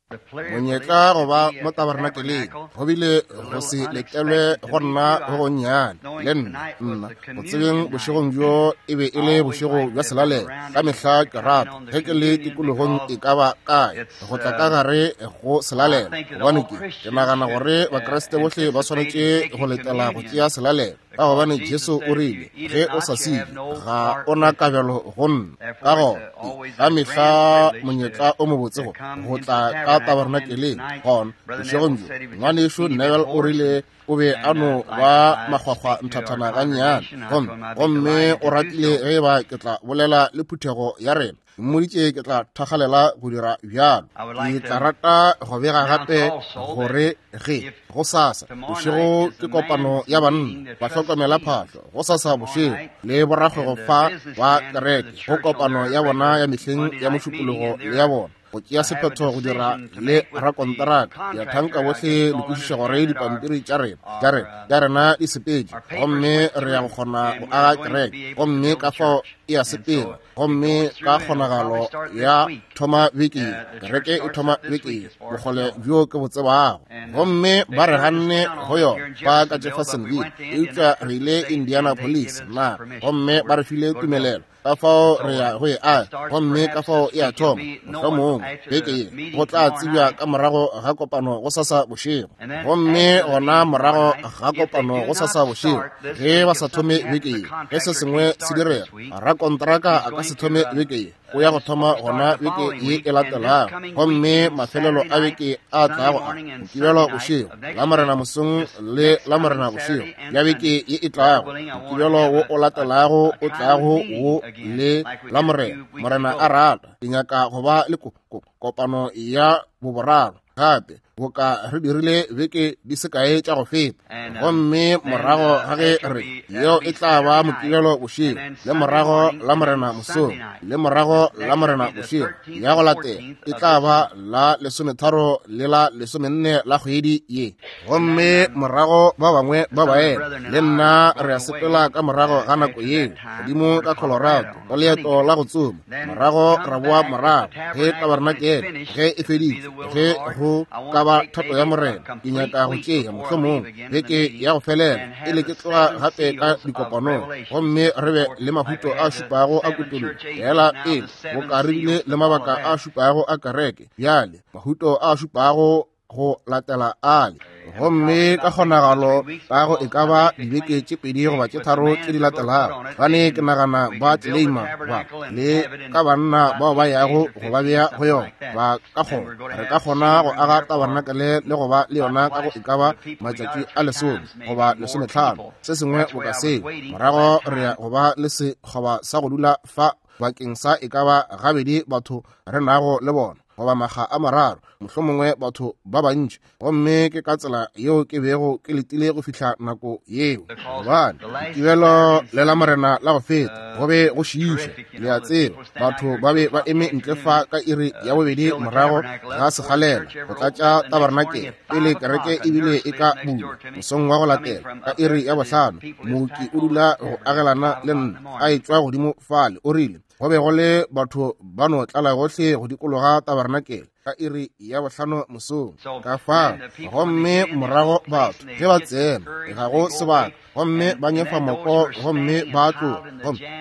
Monyetla go ba mo tabernakeleng go bile go se letelwe go nna go gonnyane le nna, nna go tsebeng bošegong bjo e be e le bošego bja selalelo. Ka mehla ke rata ge ke le tikologong e ka ba kae go tla ka gare go selalelo, gobane ke ke nagana gore Bakriste bohle ba swanetše go letela go tšea selalelo, ka gobane Jesu o rile, ge o sa se je ga o na kabelo go nna. Ka gona ka mehla monyetla o mobotse go go tla ka tabernakeleng. Gona bošegong bjo ngwanešu Neville o rile o be a no ba makgwakgwa nthathana gannyane, gomme gomme o ratile ge e ba ke tla bolela le phuthego ya rena. Mmoditše ke tla thakgalela go dira bjalo. Ke tla rata go bega gape gore ge gosasa bošego ke kopano ya banna ba hlokomela phahlo, gosasa bošego le borakgwebo fa ba kereke go kopano ya bona ya mehleng ya mošupologo le ya bona go tšea sephetho go dira le rakonteraka. Ke a thanka bohle le kwešiša gore dipampiri tša rena, tša rena, tša rena di sepetše, gomme re ya go kgona go aga kereke, gomme ka fao e a sepela, gomme ka kgonagalo ya thoma beke ye, kereke e thoma beke ye, bokgole bjo ke bo tsebago. Gomme ba re ganne go yona ba ka Jeffersonville, eupša re ile Indianapolis na, gomme ba re file tumelelo. Ka fao re ya go e aga, gomme ka fao e a thoma mohlomongwe beke ye, go tla tsebja ka morago ga kopano gosasa bošego. Gomme gona morago ga kopano gosasa bošego, ge ba sa thome beke ye, ge se sengwe se direga, rakontraka a ka se thome beke ye, o ya go thoma gona beke ye e latelago. Gomme mafelelo a beke a tlago a Mokibelo bošego, Lamorena mosong le Lamorena bošego bja beke ye e tlago, Mokibelo wo o latelago o tlago wo le Lamorena, Morena a rata, ke nyaka go ba le ko, ko, kopano ya boboraro gape, boka re dirile beke di se kae tša go feta. Gomme morago ga ge re, yeo e tla ba Mokibelo bošego, le morago Lamorena mosong, le morago Lamorena bošego ya go latela e tla ba la lesometharo le la lesomenne la kgwedi ye. Gomme morago ba bangwe ba baena le nna re a sepela ka morago ga nako yeo godimo ka Colorado ka leeto la go tsoma, morago ra boa morago ge tabarenakele ge e feditše, ge go ka ba thato ya Morena. Ke nyaka go tšea mohlomongwe beke ya go felela e le ke tloga gape ka dikopanong, gomme re be le mahuto a šupago a kutollo fela pele boka re bile le mabaka a šupago a kereke, bjale mahuto a šupago go latela ale. Gomme ka kgonagalo ka go e ka ba dibeke tše pedi goba tše tharo tše di latelago, gane ke nagana ba tleleima ba le ka banna bao ba yago go ba bea go yona, ba ka kgona, re ka kgona go aga tabarnakele le go ba le yona ka go e ka ba matšatši a lesome goba lesometlhano, se sengwe boka seo. Morago re ya go ba le sekgoba sa go dula fa bakeng sa e ka ba gabedi batho re nago le bona, goba makga a mararo, mohlomongwe batho ba bantši. Gomme ke ka tsela yeo ke bego ke letile go fihla nako yeo, gobane Mokibelo le Lamorena la go feta go be go šiiša, le a tseba. Batho ba be ba eme ntle fa ka iri ya bobedi morago ga sekgalela go tlatša tabarenakele pele kereke ebile e ka bulwa mosong wa go latela ka iri ya bohlano. Mooki o dula go agelana le nna a etšwa godimo fale, o rile go be go le batho ba no tlala gohle go dikologa tabarenakele ka iri ya bohlano mosong. Ka fao gomme morago batho ge ba tsena ga go sebaka, gomme ba nyefa moko gomme ba tloga,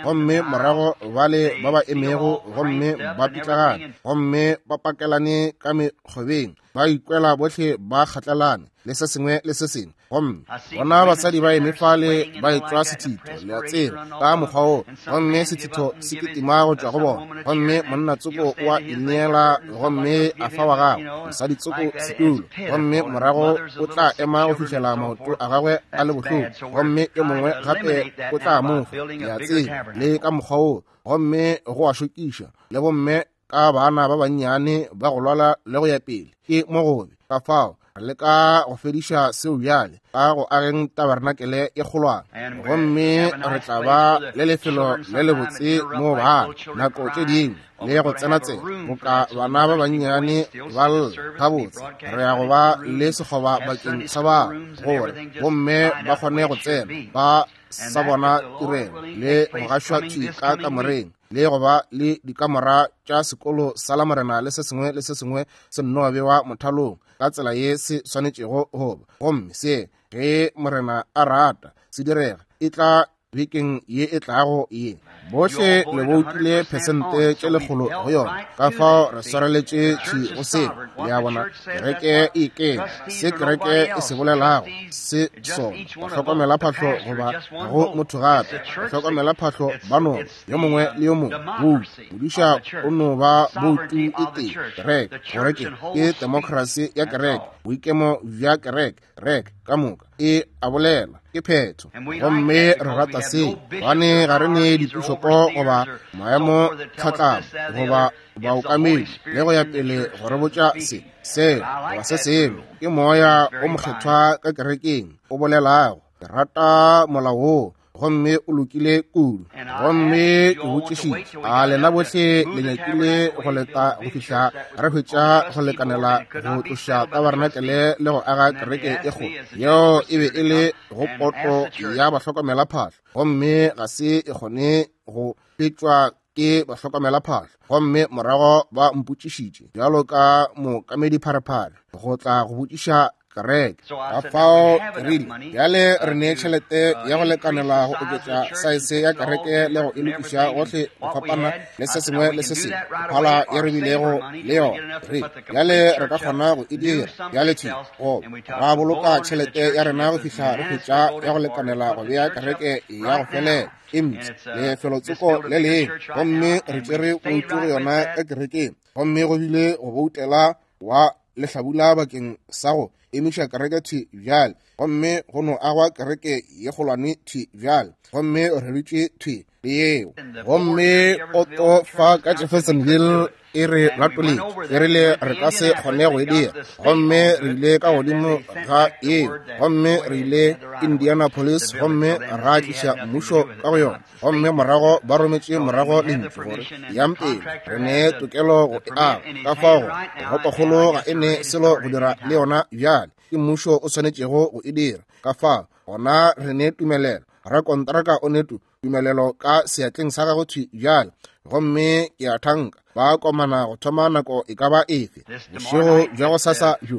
gomme morago ba le ba ba emego gomme ba pitlagane gomme ba pakelane ka mekgobeng, ba ikwela bohle ba kgatlelane le se sengwe le se sengwe. Gomme bona basadi ba eme fale ba etšwa sethitho, le a tseba, ka mokgwa wo, gomme sethitho se kitima go tšwa go bona, gomme monna tsoko o a ineela gomme a fa wa gagwe mosadi tsoko setulo, gomme morago o tla ema go fihlela maoto a gagwe a le bohloko, gomme yo mongwe gape o tla mo fa, le a tseba, le ka mokgwa wo, gomme go a šokiša, le bomme ka bana ba bannyane ba go lwala le go ya pele, ke mo gobe. Ka fao re leka go fediša seo bjale ka go ageng tabarenakele e kgolwane, gomme re tla ba le lefelo le lebotse moo bana nako tše dingwe le go tsena-tsena boka bana ba bannyane ba lla gabotse. Re ya go ba le sekgoba bakeng sa ba gore bomme ba kgone go tsena ba sa bona tirelo le go gašwa thwi ka kamoreng. le go ba le dikamora tša sekolo sa Lamorena le se sengwe le se sengwe se nno bewa mothalong ka tsela ye se swanetšego go ba. Gomme se, ge Morena a rata, se direga, e tla bekeng ye e tlago ye. Bohle le boutile phesente tše lekgolo go yona, ka fao re swareletše thwi go seo. Le a bona, kereke e ikeme se kereke e se bolelago se sona. Bahlokomelaphahlo goba ga go motho gape, bahlokomelaphahlo ba no yo mongwe le yo mongwe boutu. Modiša o no ba boutu e tee, kereke, gore ke ke temokrasi ya kereke, boikemo bja kereke. Kereke ka moka e a bolela, ke phetho. Gomme re rata se, gobane ga re ne dipišopo goba maemo tlhatlamo goba baokamedi le go ya pele go re botša se, sela goba se sengwe. Ke Moya o Mokgethwa ka kerekeng o bolelago. Ke rata molao woo, gomme o lokile kudu. Gomme ke botšišitše, a lena bohle le nyakile go leta go fihla re hwetša go lekanela go tloša tabarenakele le go aga kereke e kgolo? Yeo e be e le go poto ya bahlokomelaphahlo, gomme ga se e kgone go fetšwa ke bahlokomelaphahlo. Gomme morago ba mpotšišitše bjalo ka mookamedipharephare go tla go botšiša kereke. Ka fao ke rile, bjale re ne tšhelete ya go lekanela go oketša saese ya kereke le go e lokiša gohle go fapana le se sengwe le se sengwe phala ye re bilego le yona. Re rile, bjale re ka kgona go e dira bjale thwi, goba ra boloka tšhelete ya rena go fihla re hwetša ya go lekanela go bea kereke ya go felela e mpsha lefelotsoko le lengwe. Gomme re tšere boutu go yona ka kerekeng, gomme go bile go boutela wa lehlabula bakeng sa go emiša kereke thwi bjale, gomme go no agwa kereke ye kgolwane thwi bjale, gomme re dutše thwi le yeo. Gomme oto fa ka Jeffersonville e re latoletše, e rile re ka se kgone go e dira, gomme re ile ka godimo ga yeo, gomme re ile Indianapolis gomme ra tliša mmušo ka go yona, gomme morago ba rometše morago lentšu gore yang pele, re ne tokelo go e aga. Ka fao toropokgolo ga e ne selo go dira le yona bjale, ke mmušo o swanetšego go e dira. Ka fao gona re ne tumelelo, rakontraka o ne tumelelo ka seatleng sa gagwe thwi bjale, gomme ke a thanka ba komana go thoma nako e ka ba efe bošego bja go sasa bjo.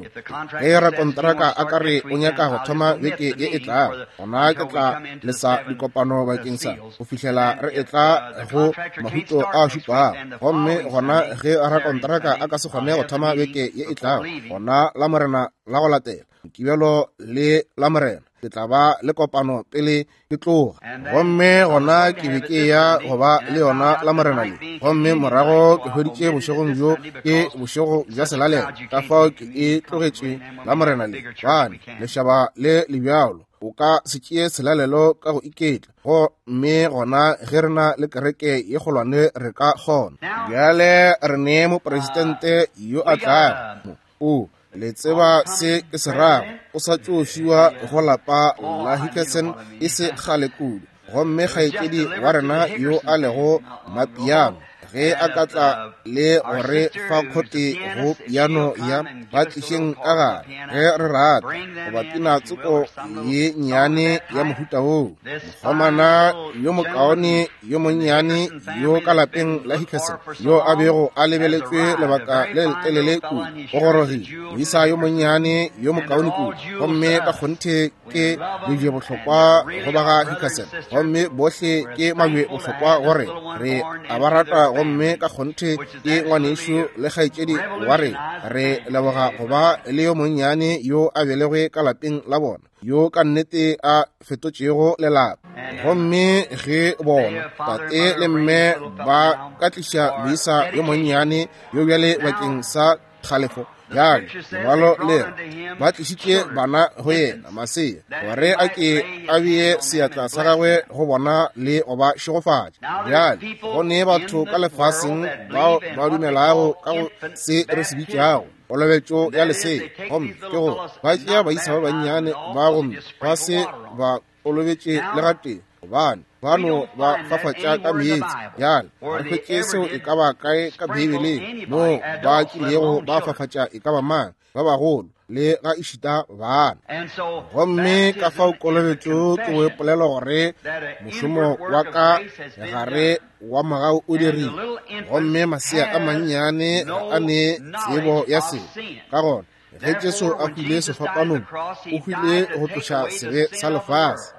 Ge rakontraka a ka re o nyaka go thoma beke ye e tlago, gona ke tla lesa dikopano bakeng sa go fihlela re etla go mahuto a šupago. Gomme gona ge rakontraka a ka se kgone go thoma beke ye e tlago, gona Lamorena la go latela, Mokibelo le Lamorena, ke tla ba le kopano pele ke tloga. Gomme gona ke be ke ya go ba le yona Lamorena le, gomme morago ke hweditše bošegong bjo ke bošego bja selalelo, ka fao ke e tlogetše Lamorena le, gobane lešaba le le bjalo, o ka se tšee selalelo ka go iketla. Gomme gona ge re na le kereke ye kgolwane re ka kgona. Bjale re ne mopresidente yo a tlago mo. O le tseba se ke se rago, o sa tšo fiwa go lapa la Hickerson e se kgale kudu. Gomme kgaetšedi wa rena yo a lego mapiano, ge a ka tla le go re fa khote go piano ya ba tlišeng ka gare ge re rata, goba pina tsoko ye nnyane ya mohuta woo. Mokgomana yo mokaone yo monnyane yo ka lapeng la Hickerson, yo a bego a lebeletšwe lebaka le letelele kudu, o gorogile, moisa yo monnyane yo mokaone kudu, gomme ka kgonthe ke lebje bohlokwa go ba ga Hickerson, gomme bohle ke mabje bohlokwa gore re a ba rata, gomme ka kgonthe ke ngwanešu le kgaetšedi wa rena. Re leboga go ba le yo monnyane yo a belegwe ka lapeng la bona, yo ka nnete a fetotšego lelapa. Gomme ge bona tate le mme ba ka tliša moisa yo monnyane yo bjale bakeng sa kgalefo, bjale lengwalo le re ba tlišitše bana go yena, masea, gore a ke a bee seatla sa gagwe go bona le go ba šegofatša. Bjale go ne batho ka lefaseng bao ba dumelago ka go se re se bitšago kolobetšo ya lesea, gomme ke gore ba tšea baisa ba bannyane ba gomme ba se ba kolobetše le gatee, gobane ba no ba fafatša ka meetse. Bjale re hwetše seo e ka ba kae ka Beibeleng moo ba kilego ba fafatša e ka ba mang, ba bagolo le ga ešita bana. Gomme ka fao kolobetšo ke go ipolelo gore mošomo wa ka gare wa mogau o dirile, gomme masea a mannyane ga a ne tsebo ya sebe. Ka gona ge Jesu a hwile sefapanong, o hwile go tloša sebe sa lefase.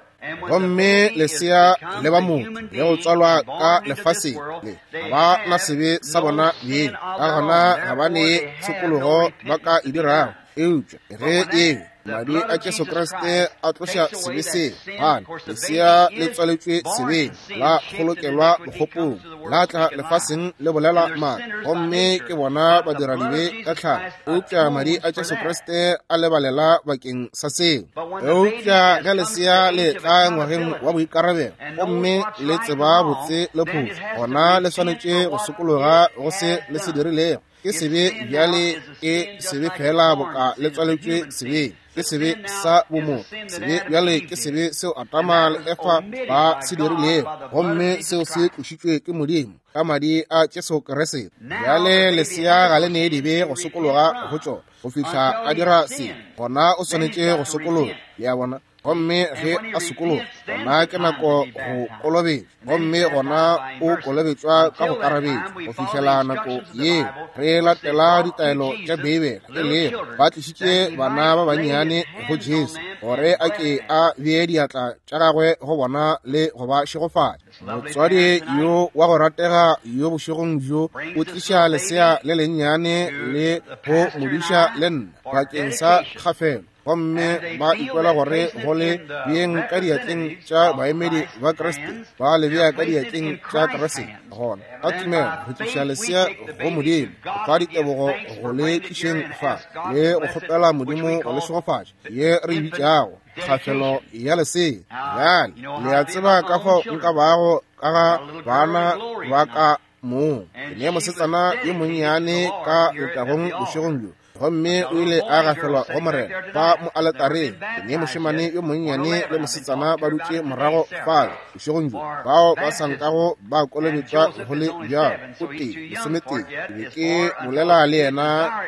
Gomme lesea le ba motho le go tswalwa ka lefaseng le ga ba na sebe sa bona beng, ka gona ga ba ne tshokologo ba ka e dirago. Eupša ge ebe madi a Jesu Kriste a tloša sebe seo, gane lesea le tswaletšwe sebeng, la kgolokelwa bokgopong, la tla lefaseng le bolela maaka, gomme ke bona badiradibe ka tlhago. Eupša madi a Jesu Kriste a lebalela bakeng sa seo. Eupša ge lesea le tla ngwageng wa boikarabelo gomme le tseba botse le phošo, gona le swanetše go sokologa go se le se dirilego. Ke sebe bjale, ke sebe fela boka le tswaletšwe sebeng. Ke sebe sa bomotho. Sebe bjale ke sebe seo Adama le Efa ba se dirilego, gomme seo se tlošitšwe ke Modimo ka madi a Jesu Kriste. Bjale lesea ga le ne dibe go sokologa go tšona go fihla a dira sebe, gona o swanetše go sokologa. Le a bona? Gomme ge a sokologa, gona ke nako go kolobetšwa, gomme gona o kolobetšwa ka go karabetšwa. Go fihlela nako yeo re latela ditaelo tša Beibele, e lego ba tlišitše bana ba bannyane go Jesu gore a ke a bee diatla tša gagwe go bona le go ba šegofatša. Motswadi yo wa go ratega yo bošegong bjo o tliša lesea le lennyane le go modiša le nna bakeng sa kgafelo, gomme ba ikwela gore go le beeng ka diatleng tša baemedi ba Kriste, ba le bea ka diatleng tša Kriste. Gona ka tumelo re tliša lesea go Modimo, go fa ditebogo go le tlišeng fa le go kgopela Modimo go le šegofatša ye re e bitšago kgafelo ya lesea. Bjale le a tseba ka fao nka bago ka ga bana ba ka mong. Ke ne mosetsana yo monnyane ka letagong bošegong bjo, gomme o ile a gafelwa go Morena fa mo aletareng. Ke ne mošemane yo monnyane le mosetsana ba dutše morago fale bošegong bjo, bao ba sa nkago ba kolobetšwa go le bjalo, o tee lesometee. Ke be ke bolela le yena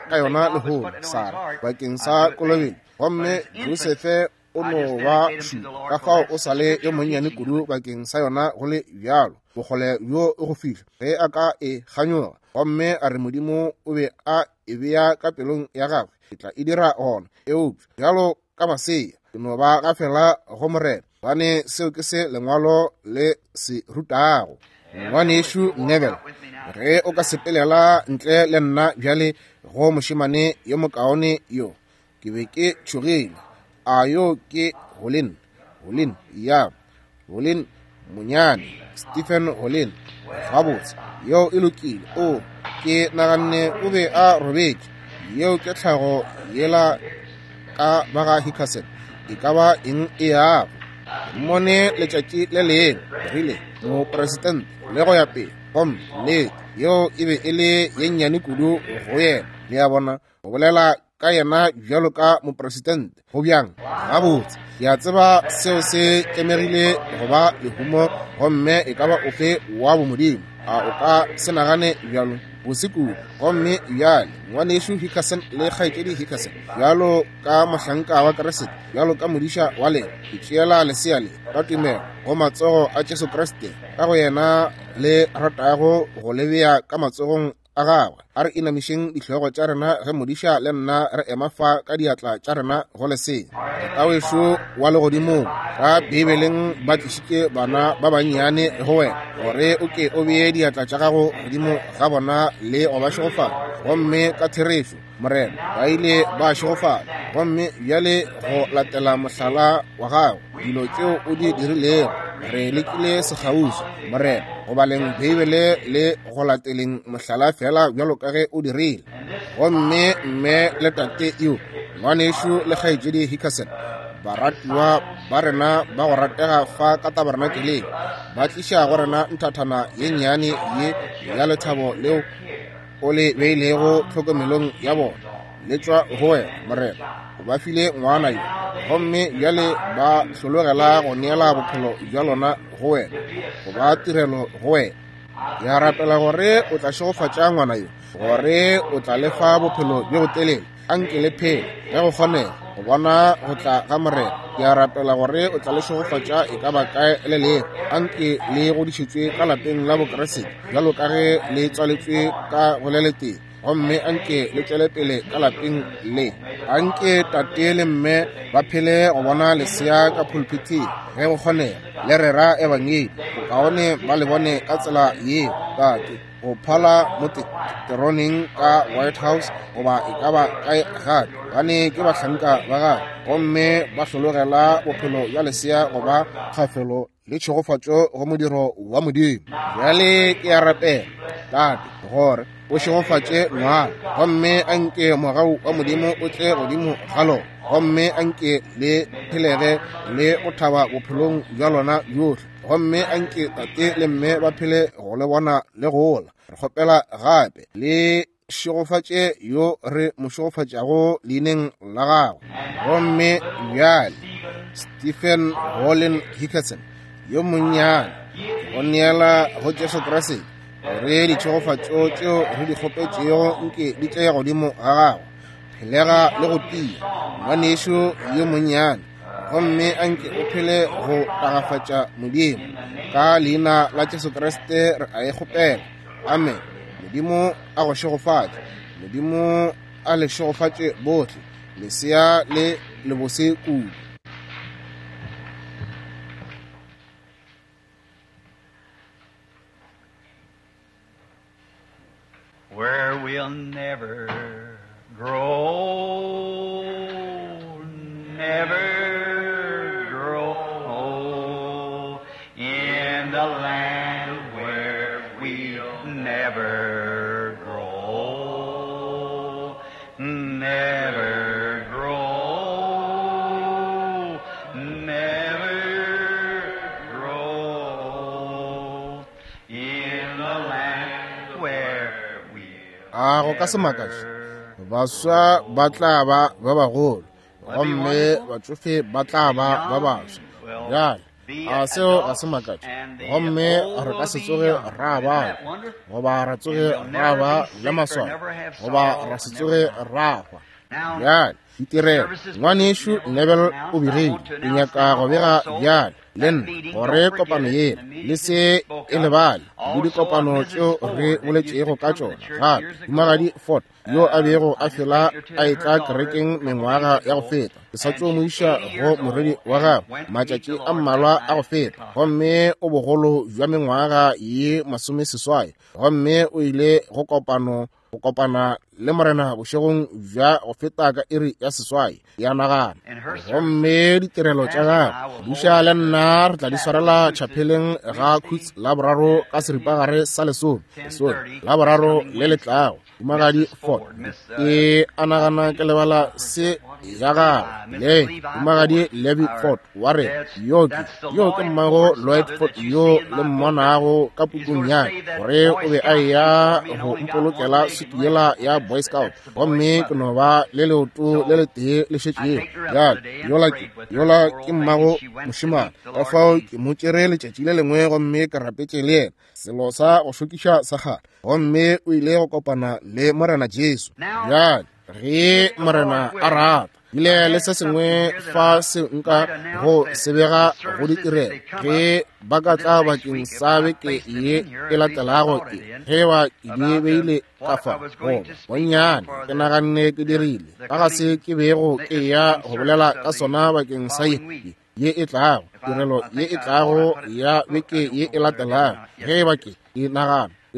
ka yona lehono, Sara, bakeng sa kolobetšo. Gomme Josefe o no ba šupa, ka fao o sa le yo monnyane kudu bakeng sa yona go le bjalo, bokgole bjo e go fihla ge a ka e kganyoga, gomme a re Modimo o be a e bea ka pelong ya gagwe, ke tla e dira gona. Eupša bjalo ka masea, ke no ba gafela go Morena, gobane seo ke se Lengwalo le se rutago. Ngwanešu Neville, ge o ka sepelela ntle le nna bjale go mošemane yo mokaone yo, ke be ke tšhogile. A yo ke Holin? Holin, ya, Holin monyane, Stephen Holin. Gabotse, yeo e lokile. O, ke naganne o be a robetše. Yeo ke tlhago yela ka ba ga Hickerson. E ka ba eng e yago? Mmone letšatši le lengwe, rile mopresidente le go ya pele, gomme nnete yeo e be e le ye nnyane kudu go yena. Le a bona, go bolela ka yena bjalo ka mopresidente go bjang? Gabotse, ke a tseba seo se tlemegile go ba lehumo, gomme e ka ba ofe wa bomodimo. A o ka se nagane bjalo? Bose kudu. Gomme bjale ngwanešu Hickerson le kgaetšedi Hickerson, bjalo ka mohlanka wa Kriste, bjalo ka modiša wa lena, ke tšeela lesea le ka tumelo go matsogo a Jesu Kriste, ka go yena le ratago go le bea ka matsogong a gagwe. A re inamišeng dihlogo tša rena ge modiša le nna re ema fa ka diatla tša rena go lesea. Tatawešo wa legodimong, ka Beibeleng ba tlišitše bana ba bannyane go wena gore o ke o bee diatla tša gago godimo ga bona le go ba šegofatša. Gomme ka therešo, Morena, ba ile ba šegofala. Gomme bjale go latela mohlala wa gago, dilo tšeo o di dirilego, re lekile sekgauswi, Morena, go baleng Beibele le go lateleng mohlala fela bjalo ka ge o dirile. Gomme mme le tate yo, ngwanešu le kgaetšedi Hickerson, baratiwa ba rena ba go ratega fa ka tabernakeleng, ba tliša go rena nthathana ye nnyane ye ya lethabo leo o le beilego tlhokomelong ya bona, le tšwa go wena, Morena. O ba file ngwana yo, gomme bjale ba hlologela go neela bophelo bja lona go wena, go ba tirelo go wena. Ke a rapela gore o tla šegofatša ngwana yo, gore o tla le fa bophelo bjo botelele. Anke le phele ge go kgonega go bona go tla ga Morena. Ke a rapela gore o tla le šegofatša e ka ba kae le lego. Anke le godišetšwe ka lapeng la Bokriste bjalo ka ge le tswaletšwe ka go le letee, gomme anke le tšwele pele ka lapeng le. Anke tate le mme ba phele go bona lesea ka pulpithing ge go kgonega, le rera ebangedi. Bokaone ba le bone ka tsela yeo, tate, go phala mo teroneng ka White House goba e ka ba kae gape, gobane ke bahlanka ba gagwe, gomme ba hlologela bophelo bja lesea goba kgafelo le tšhegofatšo go modiro wa Modimo. Bjale ke a rapela, Tate, gore o šegofatše ngwana, gomme anke mogau wa Modimo o tle godimo ga lona, gomme anke le phelege le go thaba bophelong bja lona bjohle, gomme anke tate le mme ba phele go le bona le gola. Re kgopela gape le šegofatše yo re mo šegofatšago leineng la gagwe. Gomme bjale Stephen Hollen Hickerson yo monnyane, go neela go Jesu Kriste, gore ditšhegofatšo tšeo re di kgopetšego nke di tle godimo ga gagwe. Phelega le go tia, ngwanešu yo monnyane, gomme anke o phele go tagafatša Modimo. Ka leina la Jesu Kriste re a e kgopela. Amen. Modimo a go šegofatše. Modimo a le šegofatše bohle. Lesea le lebose kudu. Where we'll never grow, never grow old in the land where we'll never grow, never grow, never grow in the land where we'll A go ka se makatše, baswa ba tla ba ba bagolo, gomme batšofe ba tla ba ba baswa. Bjale, a seo ga se makatše? Gomme re ka se tsoge ra ba, goba ra tsoge ra ba le maswao, goba ra se tsoge ra hwa. Bjale, ditirelo, ngwanešu Neville o begile, ke nyaka go bega bjale le nna gore kopano yela le se e lebale, le dikopano tšeo re boletšego ka tšona. Gape Mohumagadi Ford yo a bego a fela a etla kerekeng mengwaga ya go feta, ke sa tšo mo iša go morwedi wa gagwe matšatši a mmalwa a go feta, gomme o bogolo bja mengwaga ye 80, gomme o ile go kopano go kopana le Morena bošegong bja go feta ka iri ya 8 ya nagana. Gomme ditirelo tša gagwe buša le nna re tla di swarela tšhapeleng ga Khutz la boraro ka seripagare sa lesome, lesome la boraro le le tlago. Mohumagadi Ford, ke a nagana ke lebala se ya gagwe le Mohumagadi Levy Ford wa re yo ke mmago Lloyd Ford yo le mmonago ka pukung ya gore o be a eya go mpolokela sutu yela ya Boy Scout, gomme ke no ba le leoto le letee le šetšego. Bjale yola ke mmago mošemane, ka fao ke mo tšere letšatši le lengwe gomme ke rapetše le yena, selo sa go šokiša sa kgale, gomme o ile go kopana le Morena Jesu. Bjale ge Morena a rata, ile le se sengwe fa se nka go sebega go ditirelo ge ba ka tla bakeng sa beke ye e latelago, ke ge ba ke di beile ka fa goba bonnyane ke naganne ke dirile ka ga se ke bego ke ya go bolela ka sona bakeng sa ye e tlago, tirelo ye e tlago ya beke ye e latelago. Ge ba ke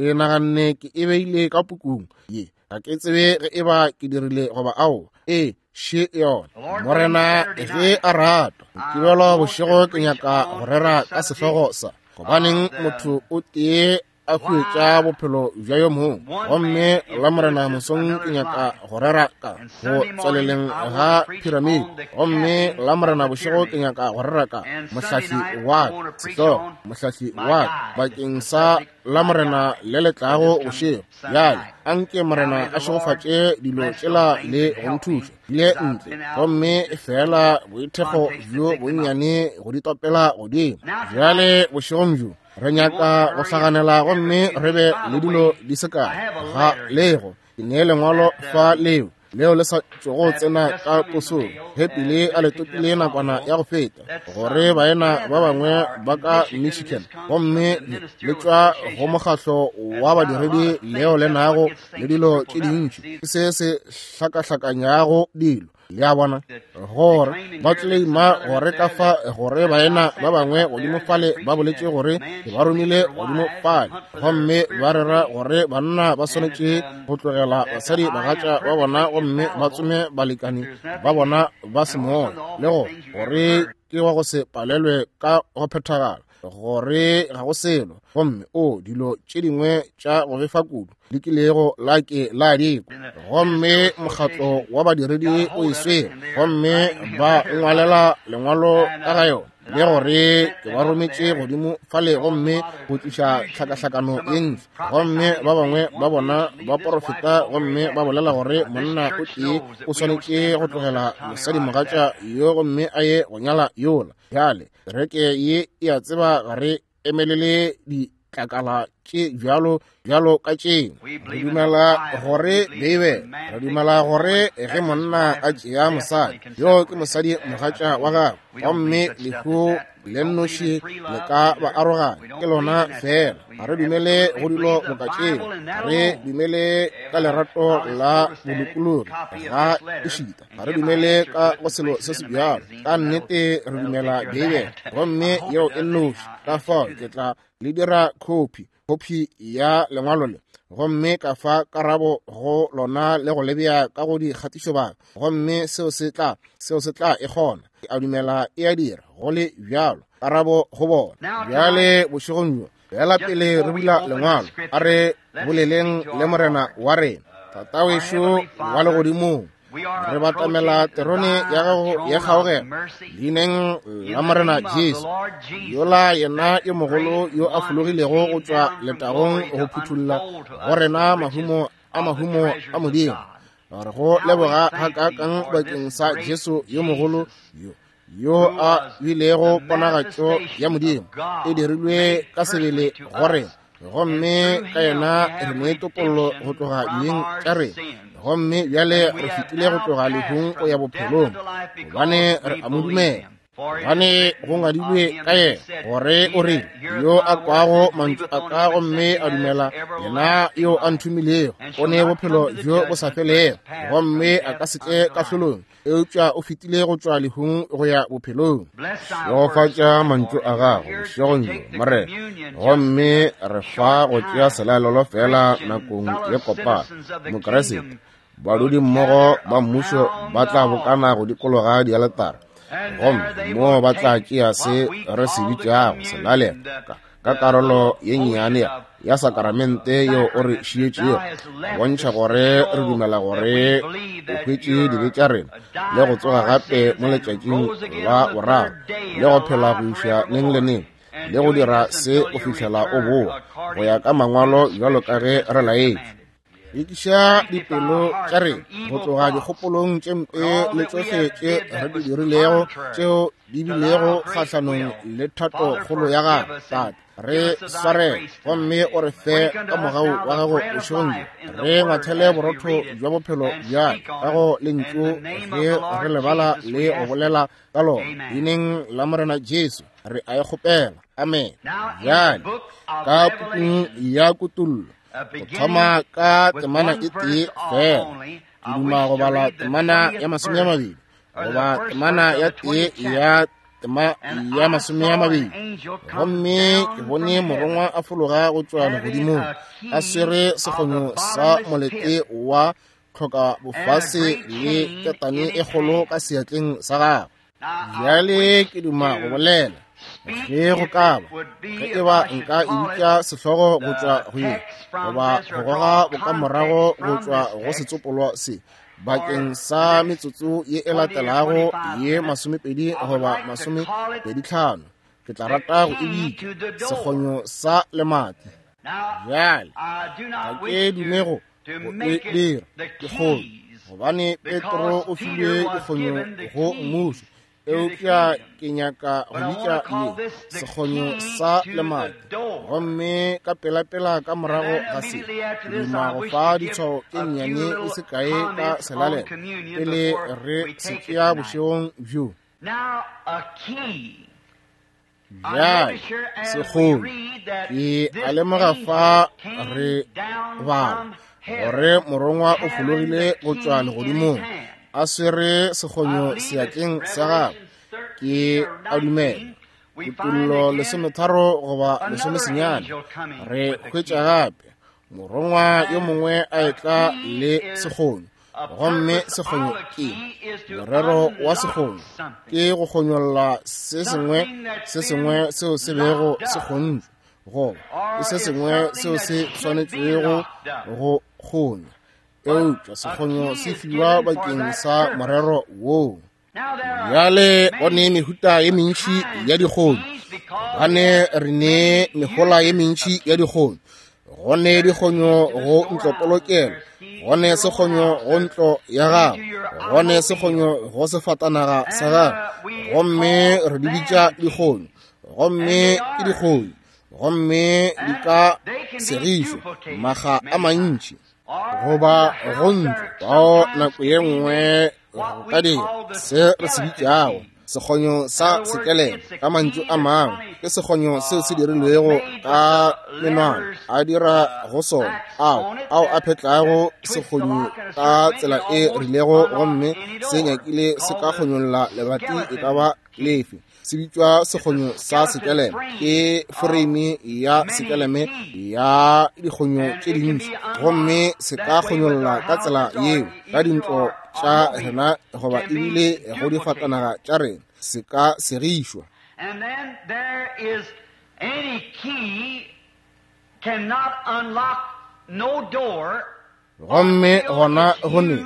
naganne ke e beile ka pukung ye, ga ke tsebe ge e ba ke dirile goba ao. E še yona. Morena ge a rata, Mokibelo bošego ke nyaka go rera ka sehlogo sa gobaneng motho o tee a huetša bophelo bja yo mongwe. Gomme la Morena mosong ke nyaka go rera ka go tswaleleng ga piramidi. Gomme la Morena bošego ke nyaka go rera ka mohlahli wa ka, sehlogo mohlahli wa ka bakeng sa la Morena le le tlago bošego. Bjale anke Morena a šegofatše dilo tšela le go nthuša le ntle, gomme fela boithekgo bjo bonnyane go di topela godimo. Bjale bošegong bjo Re nyaka go hlaganela gomme re be le dilo di se kae. Ga lego ke nee lengwalo fa leo leo le sa tšogo tsena ka posong, ge pele a le topile nakwana ya go feta, gore baena ba bangwe ba ka Michigan, gomme le tšwa go mokgahlo wa badiredi leo le nago le dilo tše dintši, ke se se hlakahlakanyago dilo. Le a bona, gore ba claima gore ka fa gore baena ba bangwe godimo fale ba boletše gore ke ba romile godimo fale, gomme ba rera gore banna ba swanetše go tlogela basadi bagatša ba bona gomme ba tsome balekani ba bona ba semoya, le go gore ke wa go se palelwe ka go phethagala, gore ga go selo, gomme o dilo tše dingwe tša go befa kudu le kilego la ke la dikwa. Gomme mokgatlo wa badiredi o e swere, gomme ba ngwalela lengwalo ka ga yona, le gore ke ba rometše godimo fale gomme go tliša tlhakahlakano ye ntši. Gomme ba bangwe ba bona ba porofeta gomme ba bolela gore monna o tee o swanetše go tlogela mosadimogatša yo gomme a ye go nyala yola. Bjale kereke ye e a tseba ga re emelele ditlakala tše bjalo bjalo ka tšeo. Re dumela gore Beibele, re dumela gore ge monna a tšea mosadi, yo ke mosadi mogatša wa gagwe, gomme lehu le nnoši le ka ba aroganya, ke lona fela. Ga re dumele go dilo boka tšeo. Ga re dumele ka lerato la bolokologi, ga ešita ga re dumele ka go selo se se bjalo. Ka nnete re dumela Beibele, gomme yeo e nnoši. Ka fao ke tla le dira khophi ya lengwalo le, gomme ka fa karabo go lona le go lebea ka go dikgatišobaka, gomme seo se tla e kgona. Ke a dumela e a dira go le bjalo, karabo go bona. Bjale bošegong bjo, fela pele re bula lengwalo, a re boleleng le Morena wa rena, Tatawešo wa legodimong. Re batamela terone ya gago ya kgaogelo leineng la Morena Jesu, yola yena yo mogolo yo a fologilego go tšwa letagong go phuthulla go rena mahumo a mahumo a Modimo. Re go leboga gakaakang bakeng sa Jesu yo mogolo yo a bilego ponagatšo ya Modimo e dirilwe ka sebele go rena, gomme ka yena re ne topollo go tloga dibeng tša rena, gomme bjale re fetile go tloga lehung go ya bophelong, gobane re a mo dumela. Gobane go ngwadilwe ka yena gore o rile, yo a kwago mantšu a ka gomme a dumela yena yo a nthomilego, o ne bophelo bjo bo sa felego, gomme a ka se tle kahlolong, eupša o fetile go tšwa lehung go ya bophelong. Šegofatša mantšu a gago bošegong bjo, Morena, gomme re fa go tšea selalelo fela nakong ye kopana. Mokeresete, badudi mmogo ba mmušo ba tla bokana go dikologa dialetara, gomme moo ba tla tšea se re se bitšago selalelo ka karolo ye nnyane ya sakramente yeo o re šietšego, bontšha gore re dumela gore o hwetše dibe tša rena le go tsoga gape mo letšatšing la boraro, le go phela go iša neng le neng, le go dira se go fihlela o boa go ya ka mangwalo bjalo ka ge re laetšwe. Ekiša dipelo tša rena go tloga dikgopolong tše mpe le tšohle tše re di dirilego tšeo di bilego kgahlanong le thato kgolo ya gago. Tate, re swarele gomme o re fe ka mogau wa gago bošegong bjo. Re ngwathele borotho bja bophelo bjale ka go lentšu ge re lebala le go bolela ka lona. Leineng la Morena Jesu re a e kgopela, amen. Bjale ka pukung ya Kutollo, go thoma ka temana e tee fela, ke duma go bala temana ya 20 goba temana ya tee ya tema ya 20. Gomme ke bone morongwa a fologa go tšwa legodimong, a swere sekgonyo sa molete wa tlhoka bofase le ketane e kgolo ka seatleng sa gagwe. Bjale ke duma go bolela ge go ka ba, ge e ba nka e bitša sehlogo go tšwa go ye, goba go goga bokamorago go tšwa go setsopolwa se bakeng sa metsotso ye e latelago ye 20 goba 25, ke tla rata go e bitša sekgonyo sa lemati. Bjale ga ke dume go e dira dikgonyo, gobane Petro o filwe dikgonyo go mmušo. Eupša ke nyaka go bitša ye sekgonyo sa lemati. Gomme ka pelapela ka morago ga se, ke duma go fa ditshwao tše nnyane di se kae ka selalelo pele re se tšea bošegong bjo. Bjale, sekgonyo, ke a lemoga fa re bala gore morongwa o fologile go tšwa legodimong a swere sekgonyo seatleng sa gagwe. Ke a dumela Kutollo 13 goba 19 re hwetša gape morongwa yo mongwe a etla le sekgonyo. Gomme sekgonyo ke morero wa sekgonyo ke go kgonyolla se sengwe se sengwe seo se bego se kgontšwe, goba ke se sengwe seo se swanetšwego go kgonywa. Eupša sekgonyo se fiwa bakeng sa morero woo. Bjale go ne mehuta ye mentši ya dikgonyo, gobane re ne mehola ye mentši ya dikgonyo. Go ne dikgonyo go ntlopolokelo, go ne sekgonyo go ntlo ya gago, go ne sekgonyo go sefatanaga sa gago, gomme re di bitša dikgonyo. Gomme ke dikgonyo, gomme di ka segišwa makga a mantši, goba go ntlo bao nako ye nngwe go ka dira se re se bitšago sekgonyo sa sekelelo. Ka mantšu a mangwe, ke sekgonyo seo se dirilwego ka menwana a dira go sona, ao a phetlago sekgonyo ka tsela e rilego, gomme se nyakile se ka kgonyolla lebati e ka ba lefe. Se bitšwa sekgonyo sa sekeleme. Ke foreime ya sekeleme ya dikgonyo tše dintši, gomme se ka kgonyolla ka tsela yeo ka dintlo tša rena goba ebile go difatanaga tša rena. Se ka segišwa. And then there is any key cannot unlock no door. Gomme gona go ne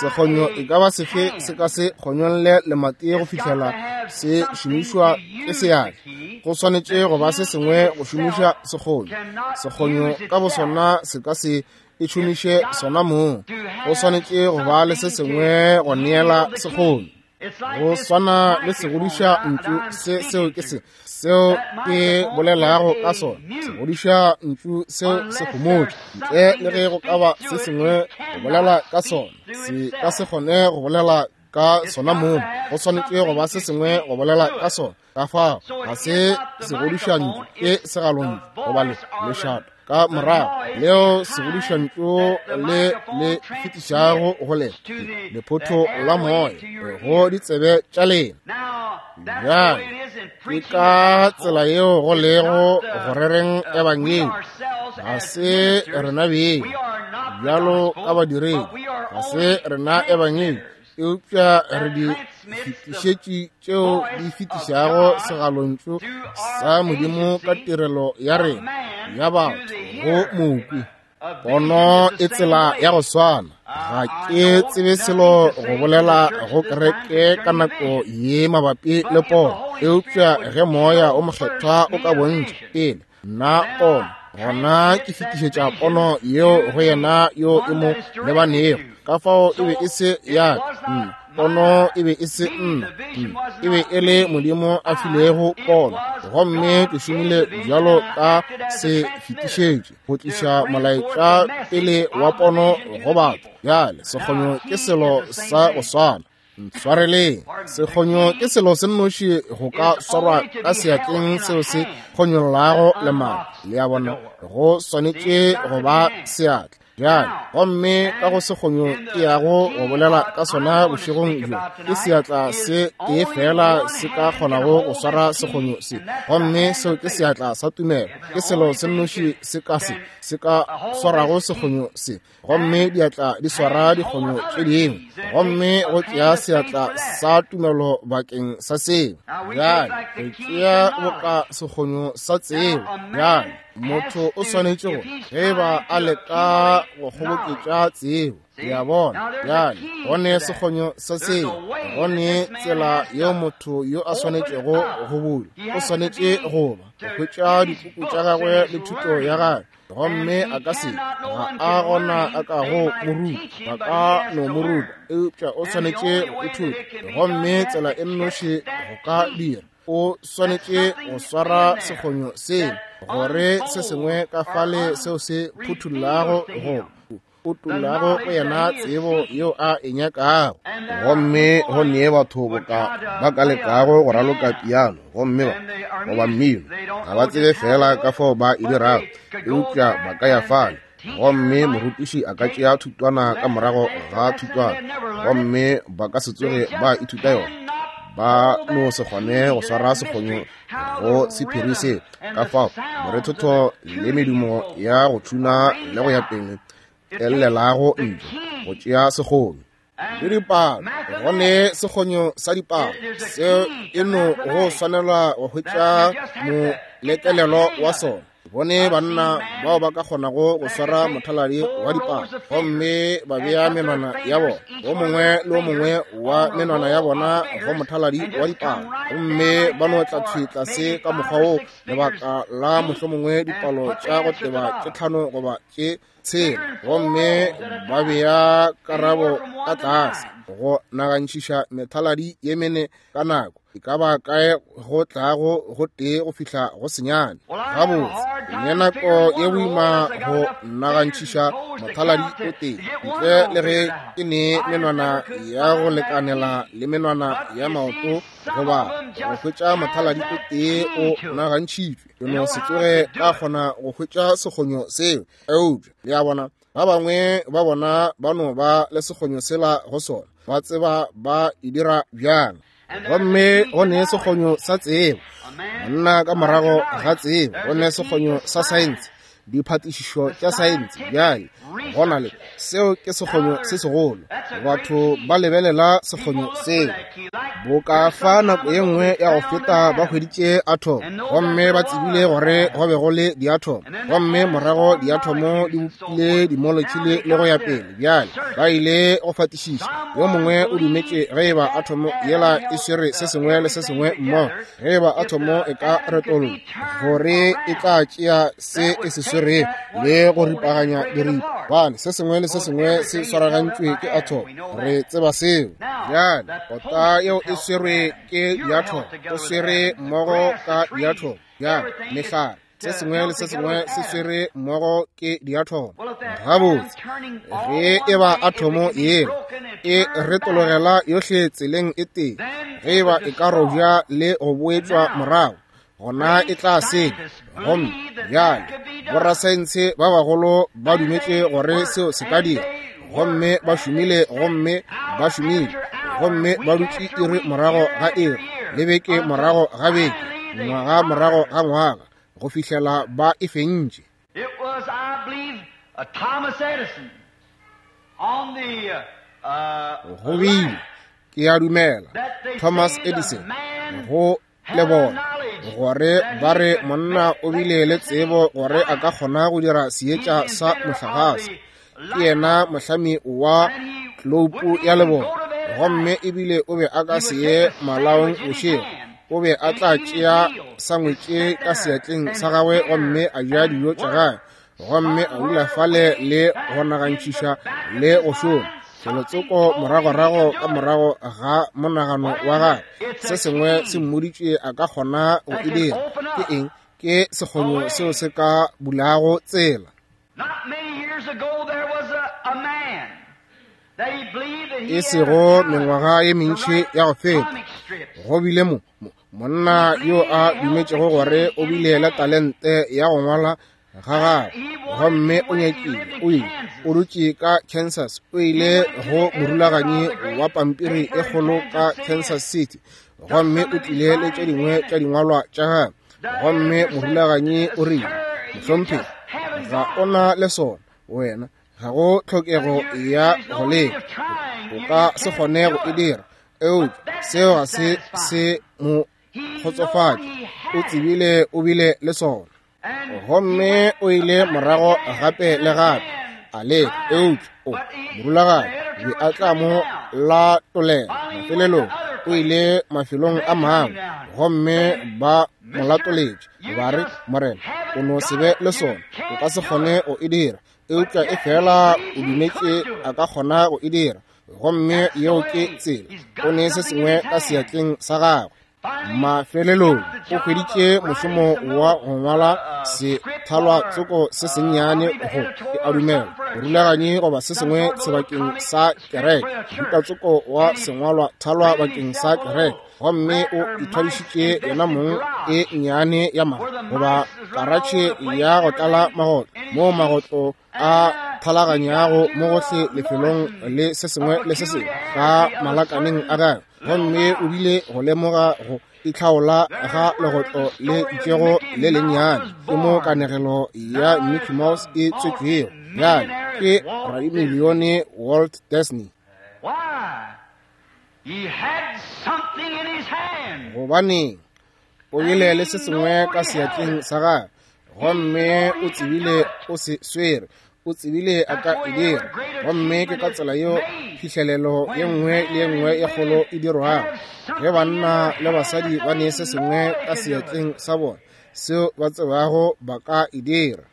sekgonyo e ka ba sefe se ka se kgonyolle lemati go fihlela se šomišwa ke seatla. Go swanetše go ba se sengwe go šomiša sekgonyo. Sekgonyo ka bosona se ka se e šomiše sona mong. Go swanetše go ba le se sengwe go neela sekgonyo. Go swana le segodiša ntšu se, seo ke se seo ke bolelago ka sona. Segodiša ntšu seo se homotše, ntle le ge go ka ba se sengwe go bolela ka sona, se ka se kgone go bolela ka sona mong. Go swanetše go ba se sengwe go bolela ka sona. Ka fao ga se segodiša ntšu, ke segalontšu goba lešata ka morago leo segodišantšu le le fetišago go lena lephotho la moya go ditsebe tša lena. Bjale ke ka tsela yeo go lego go rereng ebangedi. Ga se rena beng bjalo ka badiredi, ga se rena ebangedi, eupša re di fetišetši tšeo di fetišago segalontšu sa Modimo ka tirelo ya rena ya batho go mokwi. Pono e tsela ya go swana. Ga ke tsebe selo go bolela go kereke ka nako ye mabapi le pono, eupša ge moya o mokgethwa o ka bontšha pele nna pono, gona ke fetišetša pono yeo go yena yo e mo lebanego. Ka fao e be e se ya ka nna, pono e be e se nna, e be e le Modimo a filego pono, gomme ke šomile bjalo ka se fetišetše go tliša molaetša pele wa pono go batho. Bjale sekgonyo ke selo sa go swana. Ntshwareleng, sekgonyo ke selo se nnoši go ka swarwa ka seatleng seo se kgonyollago lemao. Le a bona, go swanetše go ba seatla. Bjale, gomme ka go sekgonyo ke yago go bolela ka sona bošegong bjo, ke seatla se tee fela se ka kgonago go swara sekgonyo se, gomme seo ke seatla sa tumelo. Ke selo se nnoši se ka se ka swarago sekgonyo se, gomme diatla di swara dikgonyo tše dingwe, gomme go tšea seatla sa tumelo bakeng sa seo. Bjale re tšea boka sekgonyo sa tsebo. Bjale motho o swanetše go ge ba a leka go kgoboketša tsebo, le a bona. Bjale go ne sekgonyo sa tsebo, go ne tsela yeo motho yo a swanetšego go bula, o swanetše go ba go hwetša dipuku tša gagwe le thuto ya gagwe. Gomme a ka se, ga a gona a ka go mo ruta, ba ka no mo ruta, eupša o swanetše go ithuta. Gomme tsela e nnoši go ka dira, o swanetše go swara sekgonyo seo, gore se sengwe ka fale seo se phuthullago go utullago go yena tsebo yeo a e nyakago. Gomme go nee batho boka ba ka lekago go raloka piano gomme ba goba mmino, ga ba tsebe fela ka fao ba e dirago, eupša ba ka ya fale. Gomme morutiši a ka tšea thutwana ka morago ga thutwana, gomme ba ka se tsoge ba ithuta yona. Ba no se kgone go swara sekgonyo go sephiri se. Ka fao morethotho le medumo ya go tšhuna le go ya pele e llelago ntle go tšea sekgonyo. Le dipalo, go ne sekgonyo sa dipalo seo e no go swanelwa go hwetša molekelelo wa sona. Bone banna bao ba ka kgonago go swara mothaladi wa dipalo gomme ba bea menwana ya bona, o mongwe le o mongwe wa menwana ya bona go mothaladi wa dipalo, gomme ba no tla thwi tlase ka mokgwa wo lebaka la mohlomongwe dipalo tša go teba tše 5 goba tše 6, gomme ba bea karabo ka tlase go nagantšiša methaladi ye mene ka nako e ka ba kae go tlago go tee go fihla go senyane. Gabotse, ne nako ye boima go nagantšiša mothaladi o tee ntle le ge ke ne menwana ya go lekanela le menwana ya maoto goba go hwetša mothaladi o tee o nagantšhitšwe. Ke no se tsoge ka kgona go hwetša sekgonyo seo. Eupša le a bona, ba bangwe ba bona ba no ba le sekgonyo sela go sona, ba tseba ba e dira bjang. Gomme go ne sekgonyo sa tsebo, monna ka morago ga tsebo, go ne sekgonyo sa saense, diphatišišo tša saense. Bjale go na le seo, ke sekgonyo se segolo. Batho ba lebelela sekgonyo seo. Boka fa nako ye nngwe ya go feta ba hweditše atom, gomme ba tsebile gore go be go le diatom, gomme morago diatomo di bopile dimolekule le go ya pele. Bjale ba ile go fatišiša, yo mongwe o dumetše ge eba atomo yela e swere se sengwe le se sengwe mmogo, ge eba atomo e ka retologa, gore e tla tšea se e se swerego le go ripaganya diripa, bane se sengwe le se sengwe se swaragantšwe ke atom. Re tseba seo. Bjale kota yeo e swerwe ke diatom, o swere mmogo ka diatom. Bjale mehlare, se sengwe le se sengwe se swere mmogo ke diatomo. Gabotse, ge e ba atomo yeo e retologela yohle tseleng e tee, ge e ba e ka robja le go boetšwa morago, gona e tla senya. Gomme bjale borasaense ba bagolo ba dumetše gore seo se ka dira, gomme ba šomile, gomme ba šomile, gomme ba dutše iri morago ga iri, le beke morago ga beke, ngwaga morago ga ngwaga, go fihlela ba e fentše. It was, I believe, Thomas Edison on the Go bile, ke a dumela, Thomas Edison go le bona, gore ba re monna o bile le tsebo gore a ka kgona go dira seetša sa mohlagase. Ke yena mohlami wa tloupu ya lebone, gomme ebile o be a ka se ye malaong bošego. O be a tla tšea sangwetše ka seatleng sa gagwe gomme a ja dijo tša gagwe, gomme a dula fale le go nagantšiša le go šoma felotsoko moragorago ka morago ga monagano wa gagwe. Se sengwe se mmoditše a ka kgona go e dira. Ke eng? Ke sekgonyo seo se ka bulago tsela. Not many years ago there was a man that he believed that he E had a sego talent mengwaga ye to mentši write ya go feta, comic strips. go bile monna yo a dumetšego gore o bile le talente ya go ngwala ga gagwe, gomme o nyakile, o ile, o dutše ka Kansas, o ile go morulaganyi wa pampiri e kgolo ka Kansas City, gomme o tlile le tše dingwe tša dingwalwa tša gagwe, gomme morulaganyi o rile, mohlomphegi, ga o na le sona, wena, ga go tlhokego ya go leka, o ka se kgone go e dira. Eupša seo ga se se mo kgotsofatše, o tsebile o bile le sona. Gomme o ile morago gape le gape a leka, eupša o morulaganyi be a tla mo latolela. Mafelelong o ile mafelong a mangwe, gomme ba mo latoletše, ba re, Morena, o no se be le sona, o ka se kgone go e dira. Eupša efela o dumetše a ka kgona go e dira, gomme yeo ke tsela. O ne se sengwe ka seatleng sa gagwe. Mafelelong o hweditše mošomo wa go ngwala sethalwa tsoko se sennyane go ke a dumela morulaganyi goba se sengwe sebakeng sa kereke, buka tsoko wa sengwalwa thalwa bakeng sa kereke, gomme o ithwadišitše yena mong e nnyane ya mago goba karatšhe ya go tlala magotlo, moo magotlo a thalaganyago mo gohle lefelong le se sengwe le se sengwe ka malakaneng a gagwe. Gomme o bile go lemoga go itlhaola ga legotlo le itšego le lennyane. Ke mo kanegelo ya Mickey Mouse e tswetšwego bjale ke radimilione Walt Disney. Gobaneng, o bile le se sengwe ka seatleng sa gagwe, gomme o tsebile o se swere, o tsebile a ka e dira. Gomme ke ka tsela yeo phihlelelo ye nngwe le ye nngwe ye kgolo e dirwago, ge banna le basadi ba ne se sengwe ka seatleng sa bona seo ba tsebago ba ka e dira.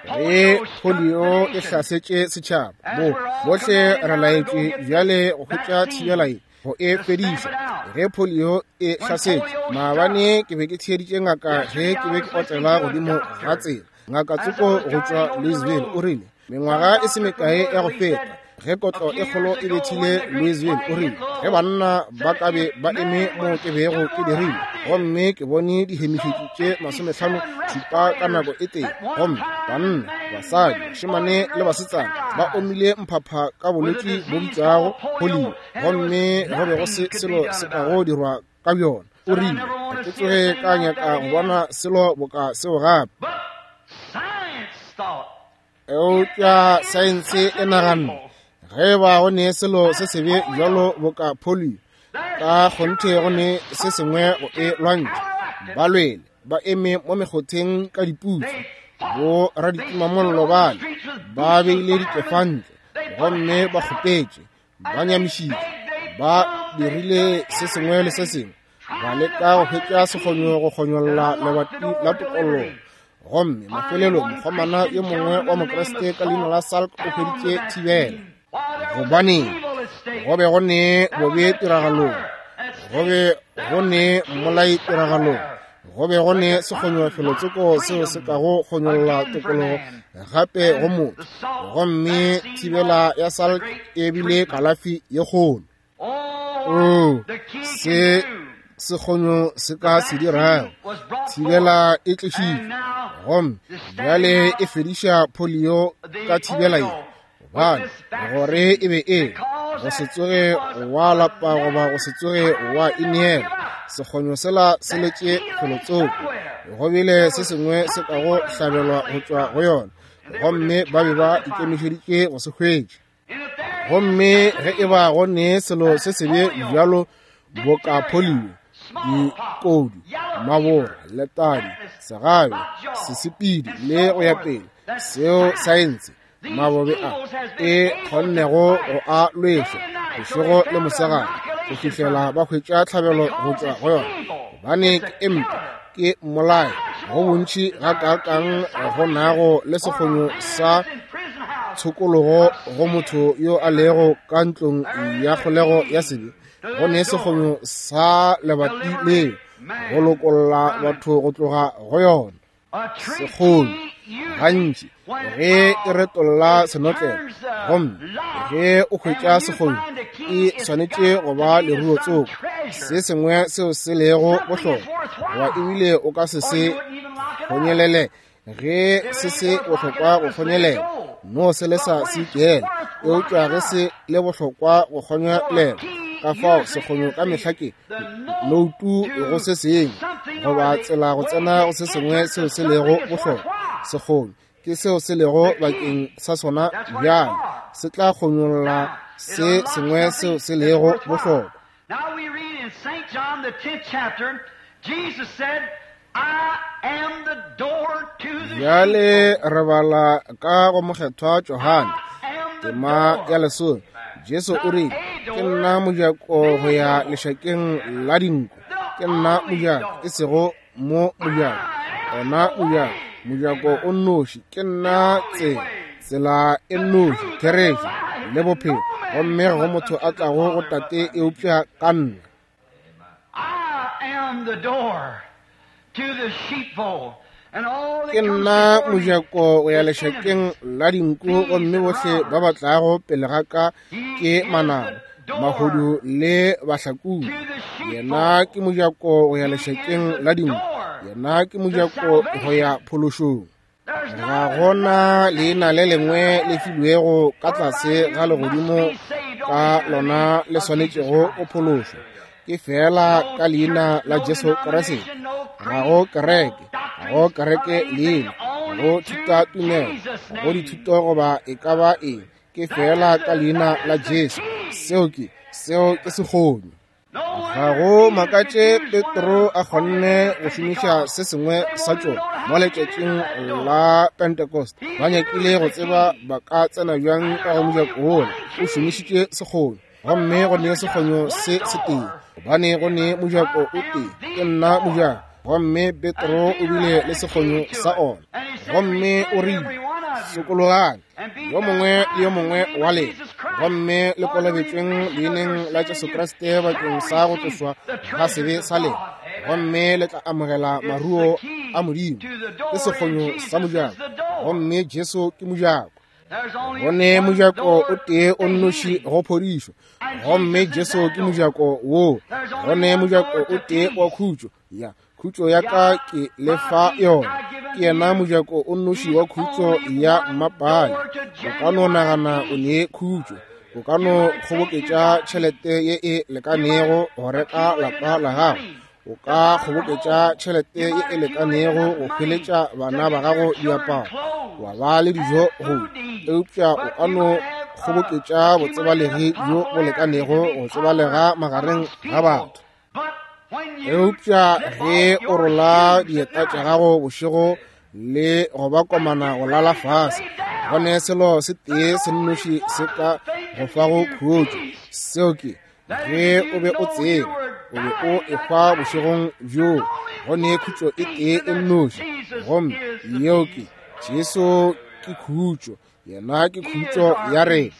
Ge polio e hlasetše setšhaba, bo bohle re laetšwe bjale go hwetša thibela ye, go e fediša. Ge polio e hlasetše, maabane ke be ke theeditše ngaka ge ke be ke otlela godimo ga tsela. Ngaka tsoko go tšwa Louisville o rile, mengwaga e se mekae ya go feta, ge kotlo e kgolo e bethile Louisville, o rile, ge banna ba ka be ba eme mo ke bego ke dirile, gomme ke bone dihemifetši tše 57 ka nako e tee, gomme banna, basadi, bašemane le basetsana ba omile mphapha ka bolwetši bo bitšwago polio, gomme go be go se selo se kago dirwa ka bjona. O rile, ga ke tsoge ka nyaka go bona selo boka seo gape. Eupša saense e naganne, ge ba go ne selo se sebe bjalo boka polio, ka kgonthe go ne se sengwe go e lwantšha. Ba lwele, ba eme mo mekgotheng ka diputsu, bo raditimamollo bale ba beile dikefantle, gomme ba kgopetše, ba nyamišitše, ba dirile se sengwe le se sengwe, ba leka go hwetša sekgonyo go kgonyolla lebati la tokollo. Gomme mafelelong mokgomana yo mongwe wa Mokriste ka leina la Salk o hweditše thibela. Gobaneng, go be go ne bobe tiragalong, go be go ne mmolai tiragalong, go be go ne sekgonyo felotsoko seo se kago kgonyolla tokologo gape go motho. Gomme thibela ya Salk e bile kalafi ye kgolo. Oh, se sekgonyo se ka se dirago, thibela e tlišitšwe, gomme bjale e fediša polio ka thibela ye, gobane gore e be e go se tsoge wa lapa goba go se tsoge wa ineela. Sekgonyo sela se letše felotsoko, go bile se sengwe se kago hlabelwa go tšwa go yona, gomme ba be ba ikemišeditše go se hwetša. Gomme ge e ba go ne selo se sebe bjalo boka polio, dikodu, mabora, letadi, segabe, sesepedi le go ya pele, seo saense mabobe a e kgonnego go a lweša bošego le mosegare go fihlela ba hwetša tlhabelo go tšwa go yona, gobane ke empe, ke mmolai go bontši gakaakang go nago le sekgonyo sa tshokologo go motho yo a lego ka ntlong ya kgolego ya sebe, go ne sekgonyo sa lebati leo go lokolla batho go tloga go yona. Sekgonyo gantši ge e retolla senotlelo, gomme ge o hwetša sekgonyo e swanetše go ba leruo tsoko, se sengwe seo se lego bohlokwa, goba ebile o ka se se kgonyelele ge se se bohlokwa go kgonyelela, no se le sa se ikela, eupša ge se le bohlokwa go kgonyelela. Ka fao sekgonyo ka mehla ke noutu go se sengwe, goba tsela go tsena go se sengwe seo se lego bohlokwa. Sekgonyo ke seo se lego bakeng sa sona bjale, se tla kgonyolla se sengwe seo se lego bohlokwa. Now we read in St. John the 10th chapter, Jesus said, I am the door to the Bjale re bala ka go mokgethwa Johane tema ya lesome, Jesu o rile, ke nna mojako go ya lešakeng la dinku, ke nna mojako, e sego mo mojako, ona mojako, mojako o nnoši. Ke nna tsela, tsela e nnoši, therešo le bophelo, gomme ga go motho a tlago go Tate eupša ka nna. Ke nna mojako go ya lešakeng la dinku, gomme bohle ba ba tlago pele ga ka ke manaba, mahodu le bahlakodi. Yena ke mojako go ya lešakeng la dinku, yena ke mojako go ya phološong. Ga gona leina le lengwe le filwego ka tlase ga legodimo ka lona le swanetšego go phološwa, ke feela ka leina la Jesu Kriste. Ga go kereke, ga go kereke leina, ga go thutatumelo, ga go dithuto goba e ka ba eng, ke feela ka leina la Jesu. Seo ke, seo ke sekgonyo. Ga go makatše Petro a kgonne go šomiša se sengwe sa tšona mo letšatšing la Pentecost. Ba nyakile go tseba ba ka tsena bjang ka go mojako wola. O šomišitše sekgonyo, gomme go ne sekgonyo se setee, gobane go ne mojako o tee. Ke nna mojako, gomme Petro o bile le sekgonyo sa ona. Gomme o rile, sokologang, yo mongwe le yo mongwe wa lena, gomme le kolobetšweng leineng la Jesu Kriste bakeng sa go tlošwa ga sebe sa lena, gomme le tla amogela maruo a Modimo. Ke sekgonyo sa mojako, gomme Jesu ke mojako. Go ne mojako o tee o nnoši go phodišo, gomme Jesu ke mojako woo. Go ne mojako o tee wa khutšo, ya khutšo ya ka ke lefa yona. Ke yena mojako o nnoši wa khutšo ya mmapale. O ka no nagana o ne khutšo, o ka no kgoboketša tšhelete ye e lekanego go reka lapa la gago, o ka kgoboketša tšhelete ye e lekanego go hweletša bana ba gago diaparo, wa ba le dijo go, eupša o ka no kgoboketša botsebalegi bjo bo lekanego go tsebalega magareng ga batho. Eupša ge o rola dieta tša gago bošego le go ba komana go lala fase, go ne selo se tee se nnoši se ka go fago khutšo, seo ke ge o be o tseba o be o ehwa bošegong bjoo. Go ne khutšo e tee e nnoši, gomme yeo ke Jesu. Ke khutšo, yena ke khutšo ya rena,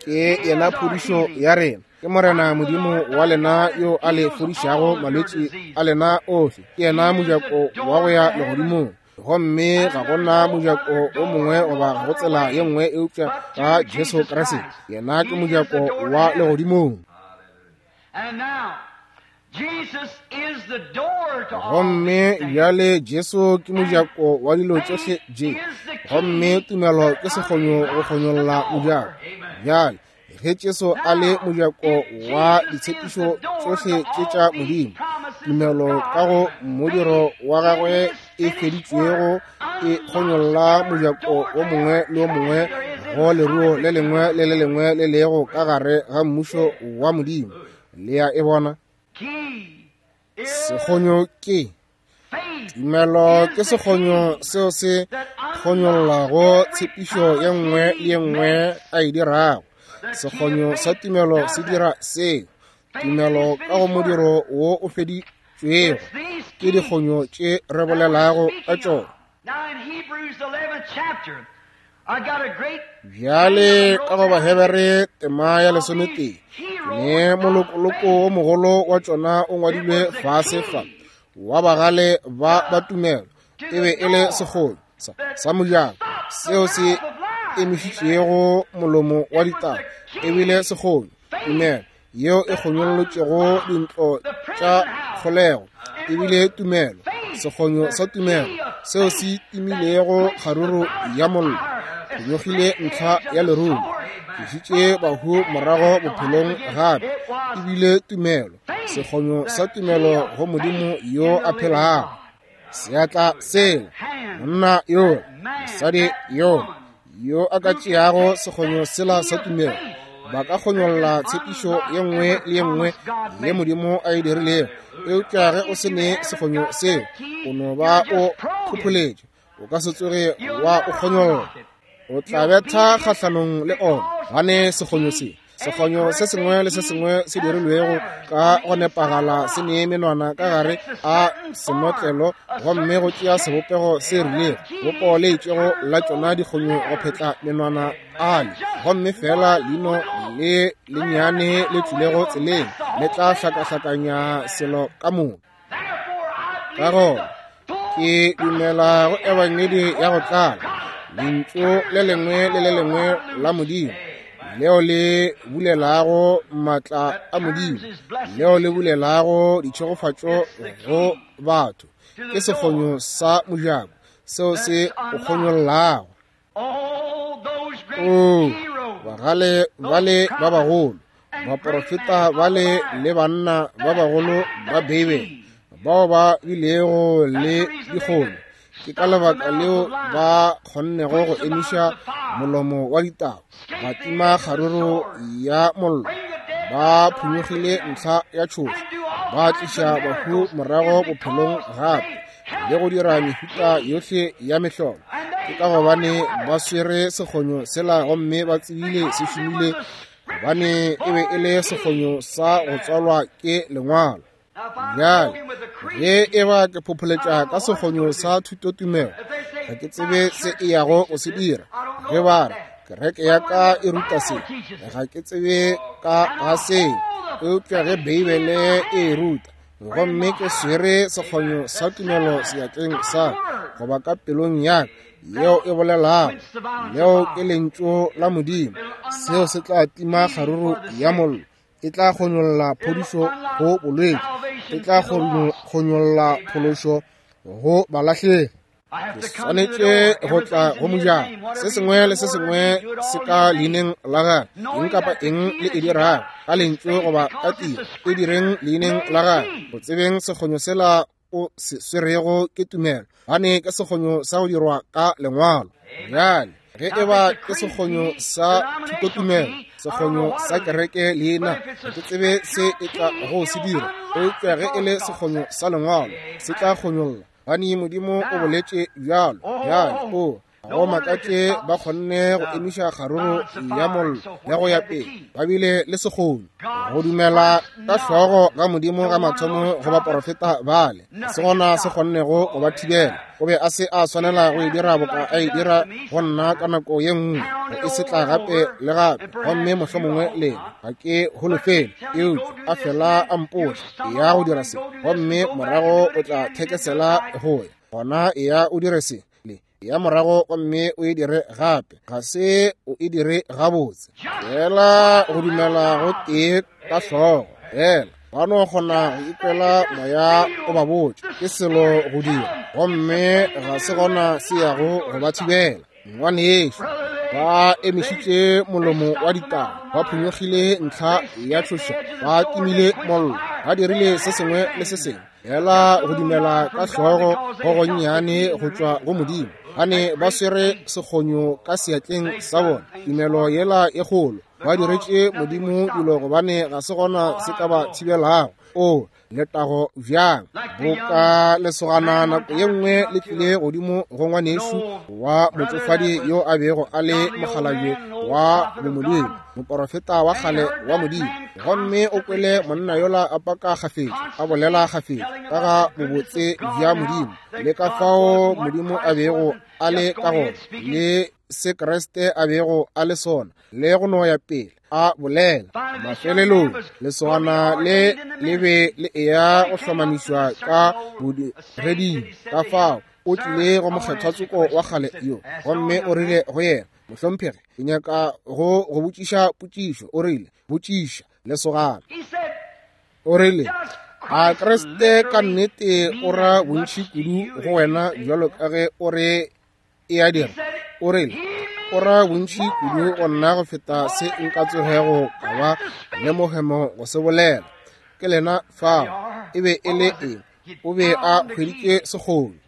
ke yena phodišo ya rena. Ke Morena Modimo wa lena yo a le fodišago malwetši a lena ohle. Ke yena mojako wa go ya legodimong, gomme ga gona mojako o mongwe goba ga go tsela ye nngwe eupša ka Jesu Kriste. Yena ke mojako wa legodimong. Gomme bjale Jesu ke mojako wa dilo tšohle tše, gomme tumelo ke sekgonyo go kgonyolla mojako. Bjale ge Jesu a le mojako wa ditshepišo tšohle tše tša Modimo, tumelo ka go modiro wa gagwe e feditšwego e kgonyolla mojako o mongwe le o mongwe go leruo le lengwe le le lengwe le lego ka gare ga mmušo wa Modimo. Le ya e bona? Sekgonyo ke tumelo, ke sekgonyo seo se kgonyollago tshepišo ye nngwe le ye nngwe a e dirago. Sekgonyo sa tumelo se dira seo. Tumelo ka go modiro wo o feditšwego ke dikgonyo tše re bolelago ka tšona. Bjale ka go Bahebere tema ya 11, ne molokoloko o mogolo wa tšona o ngwadilwe fase fa, wa bagale ba ba tumelo. E be e le sekgonyo sa mojako seo se emišitšego molomo wa ditaba. E bile sekgonyo, tumelo yeo e kgonyollotšego dintlo tša kgolego. E bile tumelo, sekgonyo sa tumelo seo se timilego kgaruru ya mollo, kgonyogile ntlha ya lerumo, tlišitše bahu morago bophelong gape. E bile tumelo, sekgonyo sa tumelo go Modimo yo a phelago. Seatla sela, monna yo, mosadi yo, yo a ka tšeago sekgonyo sela sa tumelo, ba ka kgonyolla tshepišo ye nngwe le ye nngwe ye Modimo a e dirilego. Eupša ge o se ne sekgonyo seo, o no ba o phopholetše, o ka se tsoge wa o kgonyolla. O tla betha kgahlanong le ona, gane sekgonyo se Sekgonyo se sengwe le se sengwe se dirilwego ka go nepagala se nee menwana ka gare a senotlelo gomme go tšea sebopego se rilego, bopo le itšego la tšona dikgonyo go phetla menwana ale, gomme fela leino le lennyane le tlilego tseleng le tla hlakahlakanya selo ka moka. Ka gona ke dumela go ebangedi ya go tlala, lentšu le lengwe le le lengwe la Modimo leo le bulelago maatla a Modimo, leo le bulelago ditšhegofatšo go batho. Ke sekgonyo sa mojako seo se o kgonyollago. O bagale bale ba bagolo, baporofeta bale le banna ba bagolo ba Beibele bao ba bilego le dikgono, ke ka lebaka leo ba kgonnego go emiša molomo wa ditau, ba tima kgaruru ya mollo, ba phonyokgile ntlha ya tšhoša, ba tliša bahu morago bophelong gape, le go dira mehuta yohle ya mehlolo. Ke ka gobane ba swere sekgonyo sela gomme ba tsebile se šomile, gobane e be e le sekgonyo sa go tswalwa ke lengwalo. Bjale ge e ba ke phopholetša ka sekgonyo sa thutotumelo, ga ke tsebe se e yago go se dira. Ge ba re kereke ya ka e ruta se, ga ke tsebe ka ga seo, eupša ge Beibele e e ruta, gomme ke swere sekgonyo sa tumelo seatleng sa goba ka pelong ya ka yeo e bolelago, leo ke lentšu la Modimo, seo se tla tima kgaruru ya mollo, e tla kgonyolla phodišo go bolwetši, e tla kgonyolla phološo go balahlegi. Ke swanetše go tla go mojako. Se sengwe le se sengwe se ka leineng la gagwe. Eng kapa eng le e dirago ka lentšu goba ka tiro, e direng leineng la gagwe. Go tsebeng sekgonyo sela o se swerego ke tumelo, gane ke sekgonyo sa go dirwa ka lengwalo. Bjale ge e ba ke sekgonyo sa thutotumelo, sekgonyo sa kereke leina, ga ke tsebe se e tla go se dira, eupša ge e le sekgonyo sa lengwalo, se tla kgonyolla, gane Modimo o boletše bjalo. Bjale o go makatše ba kgonne go emiša kgaruru ya mollo le go ya pele, ba bile le sekgonyo go dumela ka hlogo ga Modimo ga mathomo go baporofeta bale, se gona se kgonnego go ba thibela. O be a se a swanela go e dira boka a e dira go nna ka nako ye nngwe, go e se tla gape le gape, gomme mohlomongwe lena ga ke holofele, eupša a fela a mpotša ya go dira se, gomme morago o tla thekesela go ya gona, ya o dire se le ya morago gomme o e dire gape, ga se o e dire gabotse. Fela go dumela go tee ka hlogo fela, ba no kgona go ikwela moya o ba botša ke selo go dira, gomme ga se gona se yago go ba thibela. Ngwanešu, ba emišitše molomo wa ditau, ba phonyokgile ntlha ya tšhoša, ba timile mollo, ba dirile se sengwe le se sengwe fela go dumela ka hlogo go gonnyane go tšwa go Modimo. Gane ba swere sekgonyo ka seatleng sa bona, tumelo yela e kgolo, ba diretše Modimo dilo gobane ga se gona se ka ba thibelago. O letago bjang! Boka lesogana nako ye nngwe le tlile godimo go ngwanešu wa motšofadi yo a bego a le mokgalabje wa bomodimo, moporofeta wa kgale wa Modimo, gomme o kwele monna yola a paka kgafetša, a bolela kgafetša ka ga bobotse bja Modimo le ka fao Modimo a bego a le ka gona le se Kriste a bego a le sona, le go no ya pele a bolela. Mafelelong lesogana le le be le eya go hlomamišwa ka bodireding, ka fao o tlile go mokgethwatsoko wa kgale yo, gomme o rile go yena, Mohlomphegi, ke nyaka go go botšiša potšišo. O rile, Botšiša, lesogana. O rile, A Kriste ka nnete o ra bontši kudu go wena bjalo ka ge o re e a dira? O rile, O ra bontši kudu go nna go feta se nka tsogego ka ba le mohemo go se bolela. Ke lena fao. E be e le eng? O be a hweditše sekgonyo.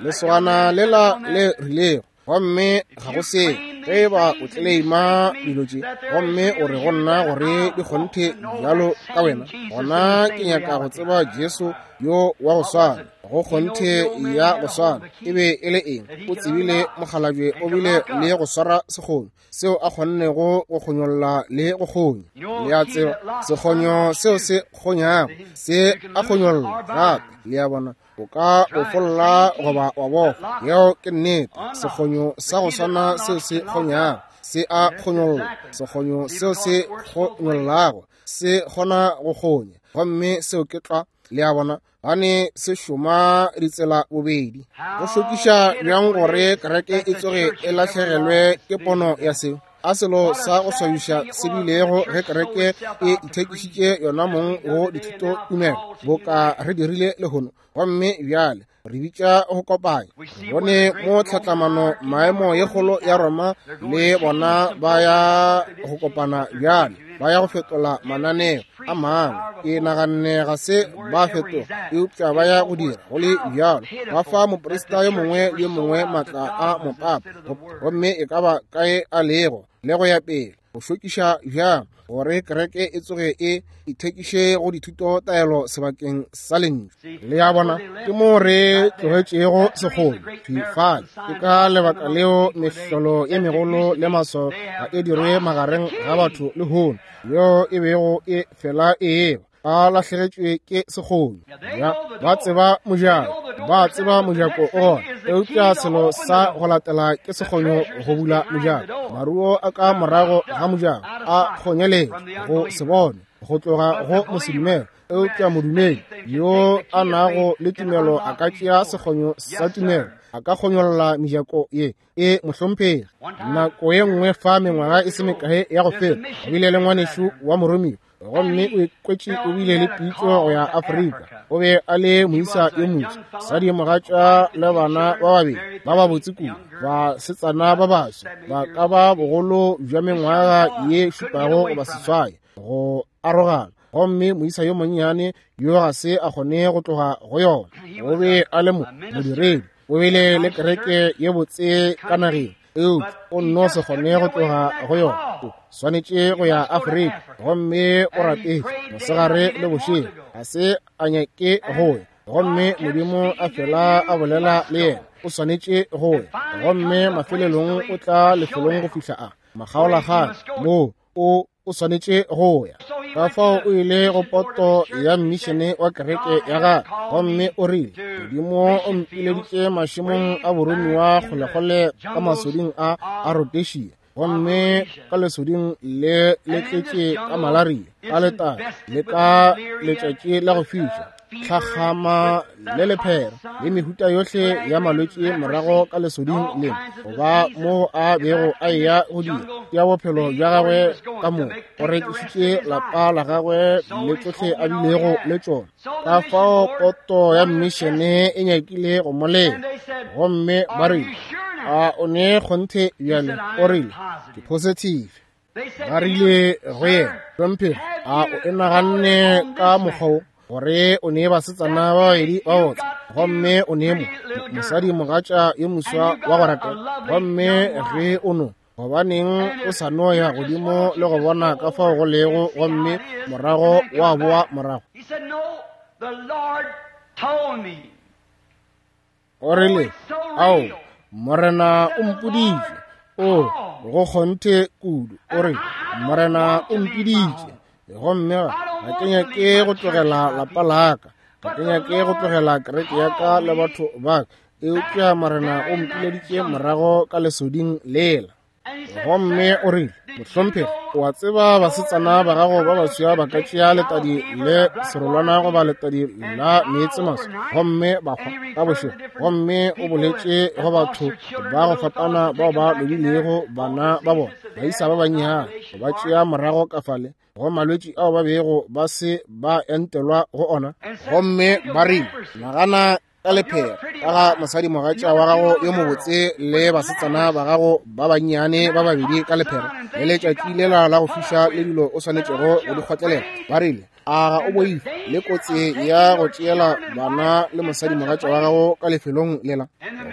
Lesogana lela le rilego, gomme ga go se ge e ba o tleleima dilo tše gomme o re go nna gore di kgonthe bjalo ka wena, gona ke nyaka go tseba Jesu yo wa go swana. go kgonthe ya go swana. E be e le eng? O tsebile mokgalabje o bile le go swara sekgonyo seo a kgonnego go kgonyolla le go kgonya. Le a tseba, sekgonyo seo se kgonyago se a kgonyolla gape. Le a bona, o ka bofolla goba wa bofa. Yeo ke nnete. Sekgonyo sa go swana seo se kgonyago se a kgonyolla. Sekgonyo seo se kgonyollago se kgona go kgonya, gomme seo ke tlwa. Le a bona, gane se šoma ditsela bobedi. Go šokiša bjang gore kereke e tsoge e lahlegelwe ke pono ya seo. A selo sa go swabiša se bilego ge kereke e ithekišitše yona mong go dithuto tumelo boka re dirile lehono. Gomme bjale re bitša go kopanya. Re bone mo tlhatlamano maemo ye kgolo ya Roma le bona ba ya go kopana bjale, ba ya go fetola mananeo a mangwe. Ke naganne ga se ba fetoga, eupša ba ya go dira go le bjalo. Ba fa moprista yo mongwe le yo mongwe maatla a mopapa, gomme e ka ba kae a lego le go ya pele. Go šokiša bjang gore kereke e tsoge e ithekiše go dithuto taelo sebakeng sa lentšu. Le a bona, ke mo re tlogetšego sekgono fale. Ke ka lebaka leo mehlolo ye megolo le maswao ga e dirwe magareng ga batho lehono, yeo e bego e fela e eba ba lahlegetšwe ke sekgono. Ya, ba tseba mojako, ba tseba mojako o gona, eupša selo sa go latela ke sekgonyo go bula mojako. Maruo a ka morago ga mojako a kgonyeletšwe go se bone go tloga go mosedumele, eupša modumedi yo a nago le tumelo a ka tšea sekgonyo sa tumelo, a ka kgonyolla mejako ye. E mohlomphegi, nako ye nngwe fa mengwaga e se mekae ya go feta, o bile le ngwanešu wa moromiwa, gomme o ikwetše o bile le pitšo go ya Afrika. O be a le moisa yo moswa, mosadi mogatša le bana ba babedi ba babotse kudu, basetsana ba baswa ba ka ba bogolo bja mengwaga ye 7 goba 8 go arogana. Gomme moisa yo monnyane yo ga se a kgone go tloga go yona. O be a le modiredi, o bile le kereke ye botse ka nageng, eupša o nno se kgone go tloga go yona. O swanetše go ya Afrika, gomme o rapetše mosegare le bošego, ga se a nyake go ya. Gomme Modimo a fela a bolela le yena, o swanetše go ya. Gomme mafelelong o tla lefelong go fihla a makgaolakgang moo o swanetše go ya. Ka fao o ile go poto ya mmišene wa kereke ya gagwe, gomme o rile, Modimo o mpileditše mašemong a boromiwa kgolekgole ka masoding a Rhodesia, gomme ka lesoding le le tletše ka malaria, ka letadi le ka letšatši la go fiša, tlhakgama le lephera le mehuta yohle ya malwetši morago ka lesoding le, goba moo a bego a eya go dira ya bophelo bja gagwe ka moka. O rekišitše lapa la gagwe le tšohle a bilego le tšona. Ka fao poto ya mmišene e nyakile go mo lema, gomme ba rile, a o ne kgonthe bjale? O rile, ke positive. Ba rile go yena, hlomphegi, a o e naganne ka mokgwa wo gore o ne basetsana ba babedi ba botse, gomme o ne mosadi mogatša yo moswa wa go ratega, gomme ge o no, gobaneng o sa no ya godimo le go bona ka fao go lego, gomme morago wa boa morago? O rile, ao, Morena o mpoditše. O, go kgonthe kudu. O rile, Morena o mpiditše, gomme ga ke nyake go tlogela lapa laka, ga ke nyake go tlogela kereke ya ka le batho ba ka, eupša Morena o mpileditše morago ka lesoding lela. Gomme o rile, mohlomphegi, o a tseba basetsana ba gago ba baswa ba ka tšea letadi le serolwana goba letadi la meetse maswa gomme ba hwa ka bošego. Gomme o boletše go batho ba go fapana bao ba lobilego bana ba bona, baisa ba bannyane, ba tšea morago ka fale go malwetši ao ba bego ba se ba entelwa go ona. Gomme ba rile, nagana ka lephera ka ga mosadi mogatša wa gago yo mobotse le basetsana ba gago ba bannyane ba babedi ka lephera le letšatši lela la go fiša le dilo o swanetšego go di kgotlelela. Ba rile, a ga o boife le kotsi ya go tšeela bana le mosadi mogatša wa gago ka lefelong lela?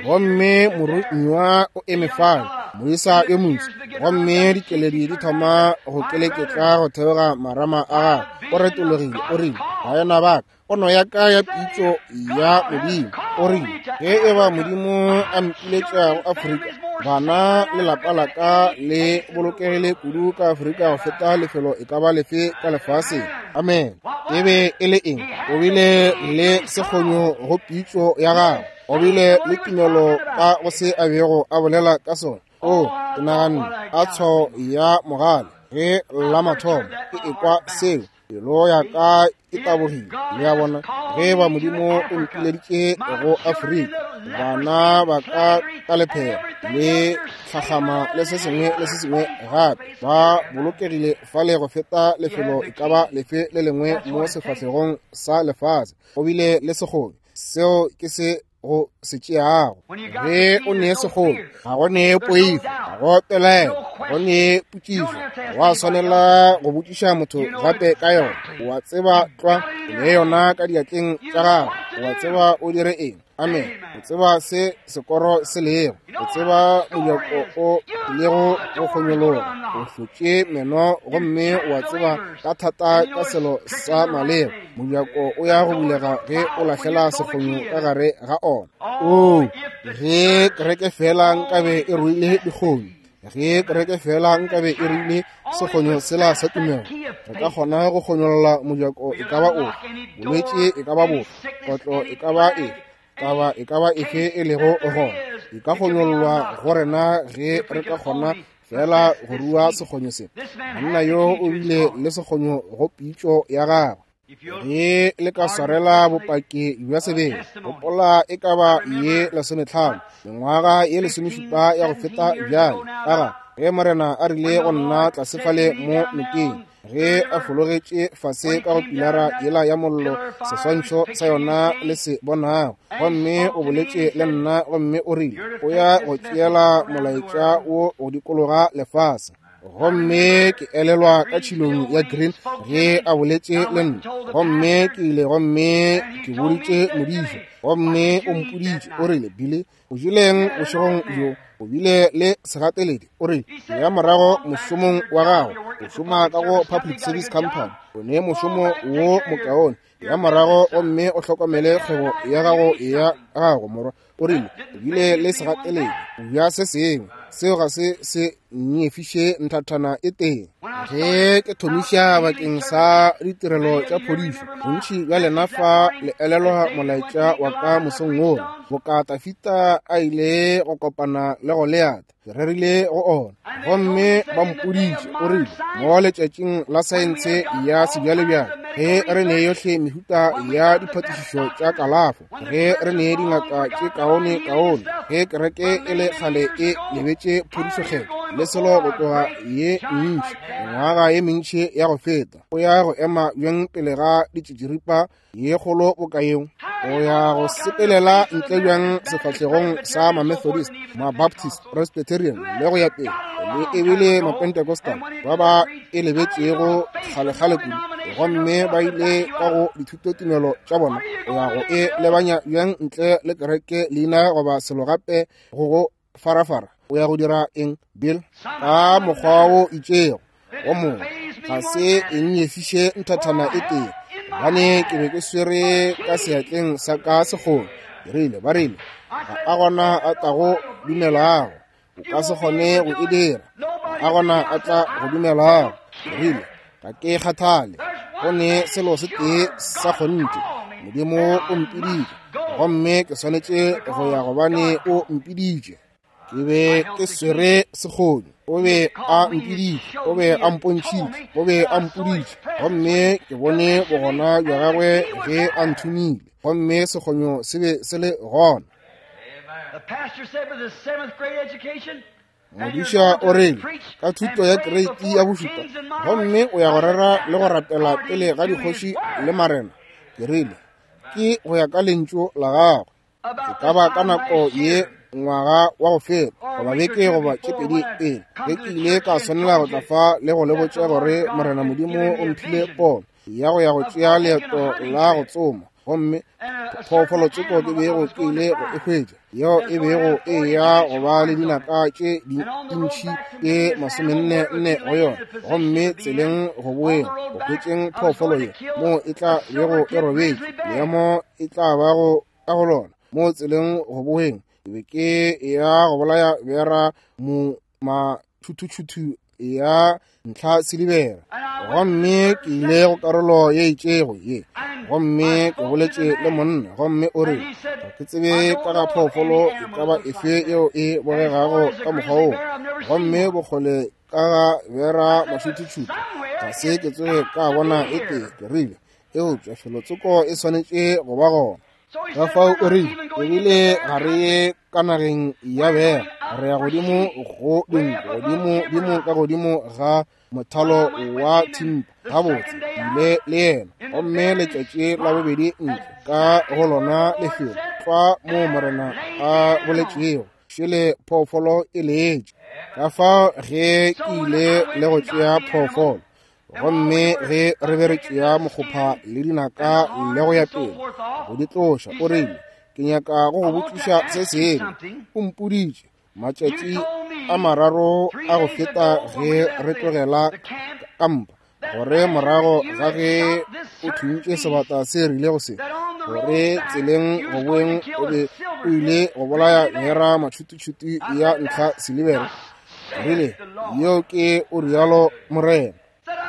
Gomme morumiwa o eme fale, moisa yo moswa, gomme dikeledi di thoma go keleketla go theoga marama a gagwe. O retologile, o rile, Baena ba ka, pono ya ka ya pitšo ya Modimo, o rile, ge e ba Modimo a mpiletša go Afrika, bana le lapa la ka le bolokegile kudu ka Afrika go feta lefelo e ka ba lefe ka lefaseng. Amen. E be e le eng? O bile le sekgonyo go pitšo ya gagwe. O bile le tumelo ka go se a bego a bolela ka sona. O, ke naganne, a tshwao ya mogale ge la mathomo ke ekwa seo, pelo ya ka e tabogile. Le a bona, ge ba Modimo o mpileditše go Afrika, bana ba ka ka lephera le tlhatlhama le se sengwe le se sengwe gape, ba bolokegile fale go feta lefelo e ka ba lefe le lengwe mo sefahlegong sa lefase. Go bile le sekgobe, seo ke se go se tšeago. Ge o nee sekgobe, ga go nee poifo, ga go pelaelo, ga go nee potšišo, wa swanela go botšiša motho gape ka yona. Wa tseba tlwa, o nee yona ka diatleng tša gago, wa tseba o dire eng. Amen. O tseba se sekoro se lego, o tseba mojako o lego go kgonyologa, o hlotše meno gomme wa tseba ka thata ka selo sa maleba. Mojako o ya go bulega ge o lahlela sekgonyo ka gare ga ona. Oo, ge kereke fela nkabe e ruile dikgonyo, ge kereke fela nkabe e ruile sekgonyo sela sa tumelo, re ka kgona go kgonyolla mojako e ka ba ofe, bolwetši e ka ba bofe, kotlo e ka ba efe, taba e ka ba efe e lego gona, e ka kgonyollwa go rena ge re ka kgona fela go rua sekgonyo se. Monna yo o bile le sekgonyo go pitšo ya gagwe. Ge le ka swarela bopaki bja sebele, gopola e ka ba ye 15, mengwaga ye 17 ya go feta bjale, ka ga ge Morena a rile go nna tlase fale mo nokeng, ge a fologetše fase ka go pilara yela ya mollo, seswantšho sa yona le se bonago, gomme o boletše le nna gomme o rile o ya go tšeela molaetša wo go dikologa lefase. Gomme ke elelwa ka tšhilong ya Green ge a boletše le nna, gomme ke ile gomme ke boditše modiša, gomme o mpoditše, o rile, Billy, o jeleng bošegong bjo? O bile le segateledi. O rile, ya morago mošomong wa gago, o šoma ka go Public Service Company, o ne mošomo wo mokaone, ya morago gomme o hlokomele kgwebo ya gago ya gago morwa. O rile, o bile le segateledi bja se sengwe, seo ga se se nyefiše nthathana e tee. Ge ke thomiša bakeng sa ditirelo tša phodišo, bontši bja lena fa le elelwa molaetša wa ka mosong wola, boka Tafita a ile go kopana le Goliata, ke rerile go ona. Gomme ba mpoditše, o rile, mo letšatšing la saense ya sebjalebjale, ge re ne yohle mehuta ya diphatišišo tša kalafo, ge re ne dingaka tše kaone kaone, ge kereke e le kgale e lebetše phodišokgetho le selo go tloga ye ntši, mengwaga ye mentši ya go feta, o ya go ema bjang pele ga ditšitširipa ye kgolo boka yeo? O ya go sepelela ntle bjang sefahlegong sa ma-Methodist, ma-Baptist, Presbyterian le go ya pele, le ebile ma-Pentecostal ba ba e lebetšego kgalekgale kudu, gomme ba ile ka go dithutotumelo tša bona? O ya go e lebanya bjang ntle le kereke leina goba selo gape go go farafara? O ya go dira eng, Bill? Ka mokgwa wo itšego wo mongwe ga se e nyefiše nthathana e tee, gobane ke be ke swere ka seatleng sa ka sekgolo. Ke rile, ba rile, ga a gona a tlago dumelago, o ka se kgone go e dira, ga a gona a tla go dumelago. Ke rile, ga ke kgathale, go ne selo se tee sa kgonthe, Modimo o mpiditše, gomme ke swanetše go ya gobane o mpiditše. Ke be ke swere sekgonyo, o be a mpiditše, o be a mpontšhitše, o be a mpoditše, gomme ke bone bogona bja gagwe ge a nthomile, gomme sekgonyo se be se le gona. Modiša o rile, ka thuto ya kreiti ya bošupa, gomme o ya go rera le go rapela pele ga dikgoši le marena. Ke rile, ke go ya ka lentšu la gagwe. E ka ba ka nako ye ngwaga wa go feta, goba beke goba tše pedi pele, ge ke ile ka swanela go tla fa le go le botša gore Morena Modimo o mphile pono ya go ya go tšea leeto la go tsoma, gomme Phoofolo tsoko ke bego ke ile go e hwetša, yeo e bego e ya go ba le dinaka tše dintši tše 44 go yona, gomme tseleng go boeng go hwetšeng phoofolo ye moo e tla bego e robetše, leemo e tla bago ka go lona, mo tseleng go boeng ke be ke ya go bolaya bera mo matšhuthušuthu ya ntlha silibera. Gomme ke ile go karolo ye itšego ye, gomme ke boletše le monna, gomme o rile, ga ke tsebe ka ga phoofolo e ka ba efe yeo e bogegago ka mokgwa wo, gomme bokgole ka ga bera mašuthušuthu ga se ke tsoge ka bona e tee. Ke rile, eupša felotsoko e swanetše go ba gona. Ka fao o rile, ebile ga re ye ka nageng ya bera, re ya godimo go dinku, godimo dimo ka godimo ga mothalo wa thimpa. Gabotse, ile le yena, gomme letšatši la bobedi ntle ka go lona lefelo tlwa moo morena a boletšego, šele phoofolo e letše. Ka fao ge ke ile le go tšea phoofolo, gomme ge re be re tšea mokgopha le dinaka le go ya pele go di tloša, o rile, ke nyaka go go botšiša se sengwe. O mpoditše matšatši a mararo a go feta ge re tlogela kampa, gore morago ga ge o thuntše sebata se rilego se, gore tseleng go boeng o be o ile go bolaya bera matšhututšhutu ya ntlha silibera. Rile, yeo ke o rialo morena.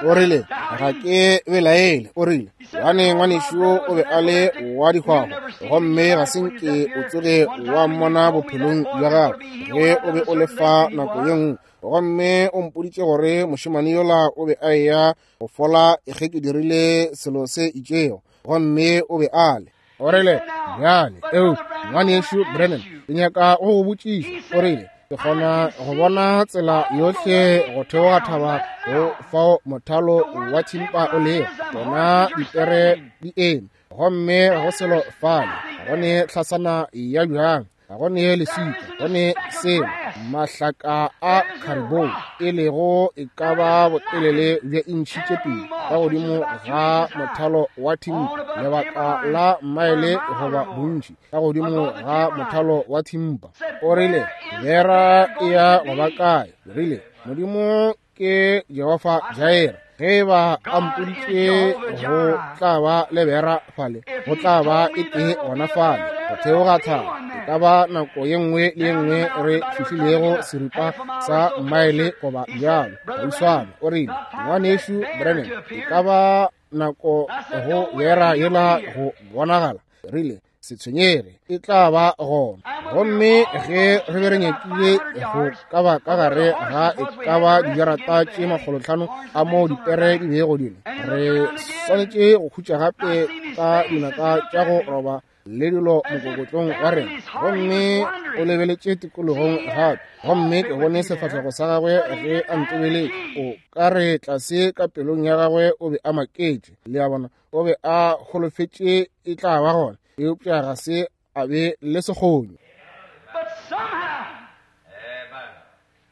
O rile, ga ke belaele. O rile, gane ngwanešu o be a le wa dihwahwa, gomme ga se nke o tsoge wa mmona bophelong bja gago ge o be o le fa nako ye nngwe. Gomme o mpoditše gore mošemane yola o be a eya go fola ge ke dirile selo se itšego, gomme o be a le. O rile, bjale, eo ngwanešu Brennan, ke nyaka go go botšiša. O rile, ke kgona go bona tsela yohle go theoga thaba go fao mothalo wa thimpa o lego, bona dipere di eme, gomme ga go selo fale, ga go ne hlasana ya bjang, ga go ne leswika, go ne selo, mahlaka a caribou e lego e ka ba botelele bja intšhi tše pedi ka godimo ga mothalo wa thimpa, lebaka la maele goba bontši ka godimo ga mothalo wa thimpa. O rile, bera e ya go ba kae? Rile, Modimo ke Jehofa Jaira. Ge ba a mpoditše go tla ba le bera fale, go tla ba e tee gona fale go theoga thaba. E ka ba nako ye nngwe le ye nngwe re fihlilego seripa sa maele goba bjalo gauswana. O rile, ngwanešu Brennan, e ka ba nako go bera yela go bonagala. Rile, se tshwenyege, e tla ba gona. Gomme ge re be re nyakile go ka ba ka gare ga e ka ba dijarata tše 500 a moo dipere di bego di le, re swanetše go khutša gape ka dinaka tša go roba le dilo mokokotlong wa rena. Gomme o lebeletše tikologong gape, gomme ke bone sefahlego sa gagwe ge a ntebeletše. O ka re tlase ka pelong ya gagwe o be a maketše, le a bona, o be a holofetše e tla ba gona, eupša ga se a be le sekgonyo.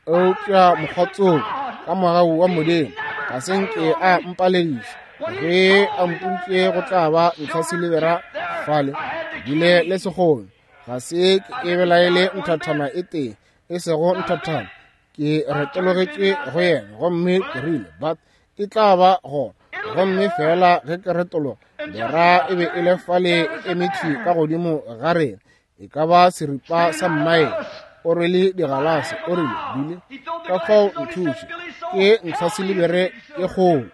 Eupša mokgwatsoko ka mogau wa Modimo ga se nke a mpalediša ge a mpoditše go tla ba ntlha silibera fale, bile le sekgonyo. Ga se ke belaele nthathana e tee, e sego nthathana. Ke retologetše go yena gomme ke rile, but e tla ba gona. Gomme fela ge ke retologa, bera e be e le fale e emetše ka godimo ga rena, e ka ba seripa sa mmaele. O rwele digalase, o rile, bile ka fao nthuše, ke ntlha silibere e kgolo.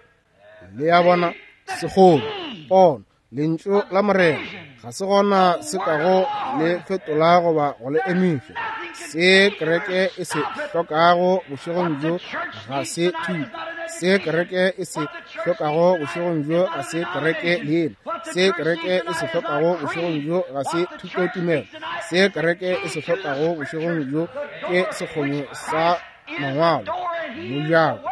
Le ya bona, segolo, pono, lentšu la morena ga se gona se kago le fetola goba go le emiša. Se kereke e se hlokago bošegong bjo ga se thuto. Se kereke e se hlokago bošegong bjo ga se kereke leina. Se kereke e se hlokago bošegong bjo ga se thutotumelo. Se kereke e se hlokago bošegong bjo ke sekgonyo sa mangwalo. Mojako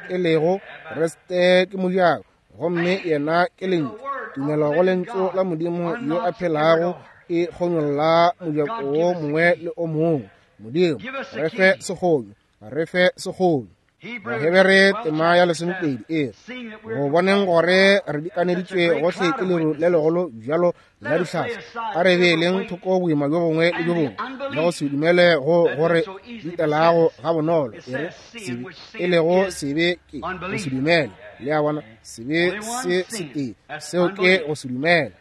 e lego Kriste ke mojako, gomme yena ke lentšu. Tumelo go lentšu la Modimo yo a phelago e kgonyolla mojako wo mongwe le o mongwe. Modimo, re fe sekgonyo, re fe sekgonyo. Bahebere tema ya 12 e go boneng gore re dikaneditšwe gohle ke leru le legolo bjalo la dihlatse, a re beeleng thoko boima bjo bongwe le bjo bongwe le go se dumele go gore ditelago ga bonolo. E re sebe e lego sebe ke go se dumele. Le a bona, sebe se setee, seo ke go se dumele.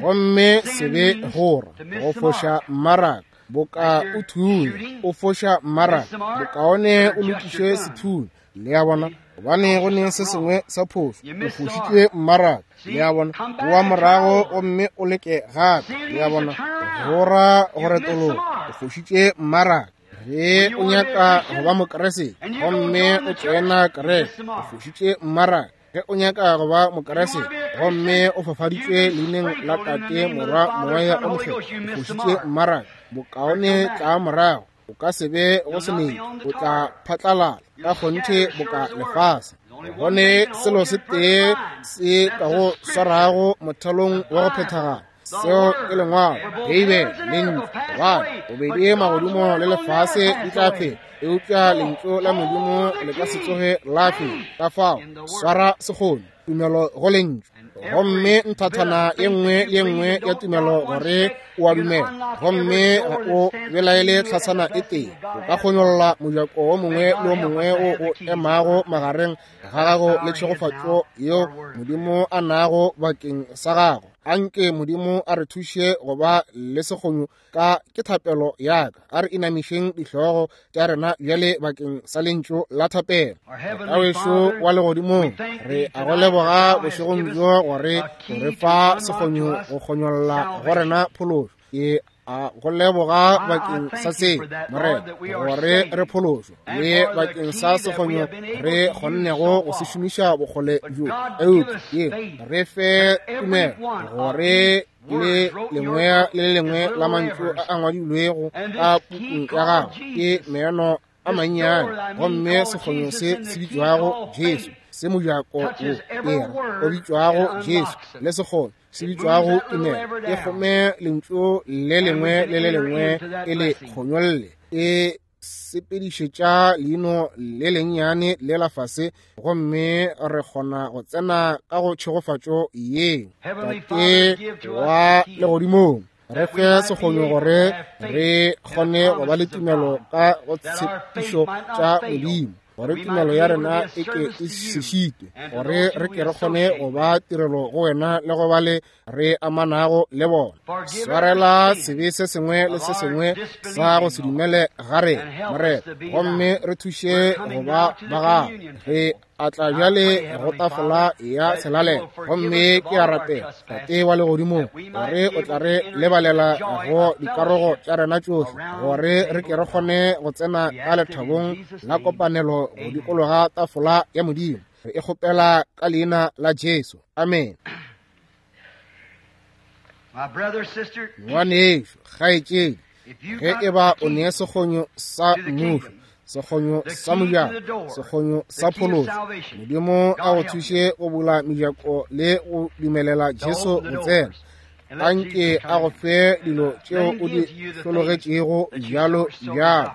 Gomme sebe gora go foša mmaraka, boka o thunya o foša mmaraka, bokaone o lokiše sethunya. Le a bona, gobane go ne se sengwe sa phošo, o fošitše mmaraka. Le a bona, boa morago gomme o leke gape. Le a bona, gora go retologa, o fošitše mmaraka. Ge o nyaka go ba Mokriste gomme o tsena kereke, o fošitše mmaraka. Ge o nyaka go ba Mokriste gomme o fafaditšwe leineng la Tate, Morwa, Moya o Mokgethwa, o fošitše mmaraka. Bokaone tla morago, o ka se be go se nene, o tla phatlalala ka kgonthe boka lefase. Gone selo se tee se ka go swarago mothalong wa go phethagala, seo ke lengwalo, Beibele, lentšu. Gobane bobedi magodimo le lefase di tla feta, eupša lentšu la Modimo le ka se tsoge la feta. Ka fao swara sekgono, tumelo go lentšu. Gomme nthathana ye nngwe le ye nngwe ya tumelo gore o a dumela, gomme ga o belaele tlhasana e tee, o ka kgonyolla mojako wo mongwe le wo mongwe wo o emago magareng ga gago le tšhegofatšo yeo Modimo a nago bakeng sa gago. Anke Modimo a re thuše go ba le sekgonyo ka ke thapelo ya ka. A re inamišeng dihlogo tša rena bjale bakeng sa lentšu la thapelo. Tawešo wa legodimong, re a go leboga bošegong bjo gore o re fa sekgonyo go kgonyolla go rena phološo. Ke a go leboga bakeng sa se, Morena, gore re phološwe, le bakeng sa sekgonyo re kgonnego go se šomiša bokgole bjo. Eupša ye re fe tumelo gore le lengwe le lengwe la mantšu a a ngwadilwego ka pukung ya gago ke meeno a mannyane, gomme sekgonyo se se bitšwago Jesu, se mojako wo era o bitšwago Jesu, le sekgonyo se bitšwago tumelo, e kgome lentšu le lengwe le le lengwe e le kgonyolle, e sepedišetša leino le lennyane le la fase, gomme re kgona go tsena ka go tšhegofatšo yeo. Tate wa legodimong, re fe sekgonyo gore re kgone go ba le tumelo ka go tshepišo tša Modimo, gore tumelo ya rena e ke e se šitwe, gore re ke re kgone go ba tirelo go wena le go ba le re amanago le bona. Swarela sebe se sengwe le se sengwe sa go se dumele ga rena, Morena, gomme re thuše go ba ba gago. Re a tla bjale go tafola ya selalelo, gomme ke a rapela, Tate wa legodimong, gore o tla re lebalela go dikarogo tša rena tšohle, gore re ke re kgone go tsena ka lethabong la kopanelo go dikologa tafola ya Modimo. Re e kgopela ka leina la Jesu. Amen. Ngwanešo, kgaetšedi, ge e ba o ne sekgonyo sa mmušo, sekgonyo sa mojako, sekgonyo sa phološo, Modimo a go thuše go bula mejako le go dumelela Jesu go tsena. Anke a go fe dilo tšeo o di hlologetšego bjalo bjalo.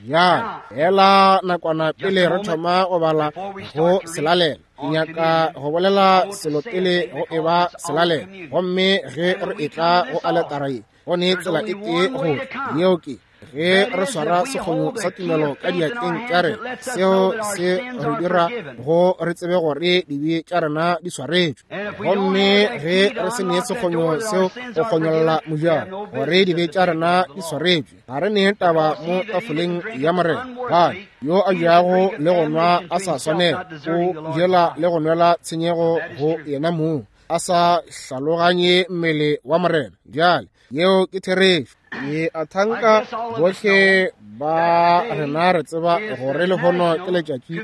Bjale, hela nakwana pele re thoma go bala go selalela, ke nyaka go bolela selo pele go e ba selalela. Gomme ge re etla go aletara ye, go ne tsela e tee go tla, yeo ke ge re swara sekgonyo sa tumelo ka diatleng tša rena. Seo se re dira go re tsebe gore dibe tša rena di swaretšwe. Gomme ge re se ne sekgonyo seo go kgonyolla mojako gore dibe tša rena di swaretšwe, ga re ne taba mo tafoleng ya Morena. Gobane yo a jago le go nwa a sa swanela, o jela le go nwela tshenyego go yena mong, a sa hlaloganye mmele wa Morena. Bjale yeo ke therešo. Ke a thanka bohle ba rena re tseba gore lehono ke letšatši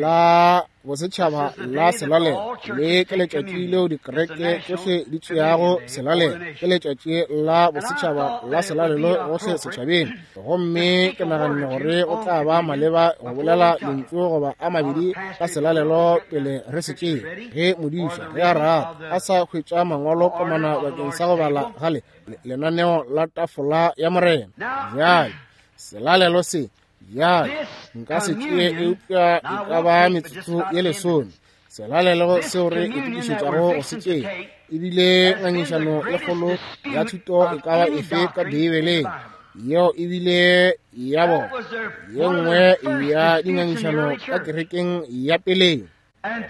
la bosetšhaba la selalelo, le ke letšatši leo dikereke tšohle di tšeago selalelo. Ke letšatši la bosetšhaba la selalelo gohle setšhabeng. Gomme ke naganne gore go tla ba maleba go bolela lentšu goba a mabedi ka selalelo pele re se tšee, ge modiša ge a rata a sa hwetša mangwalo komana bakeng sa go bala gale lenaneo la tafola ya Morena. Bjale selalelo se Bjale nka se tšee eupša e ka ba metsotso ye lesome. Selalelo seo re itokišetšago go se tšea e bile ngangišano e kgolo ya thuto e ka ba efe ka Beibeleng. Yeo e bile ya bona ye nngwe ya dingangišano ka kerekeng ya peleng.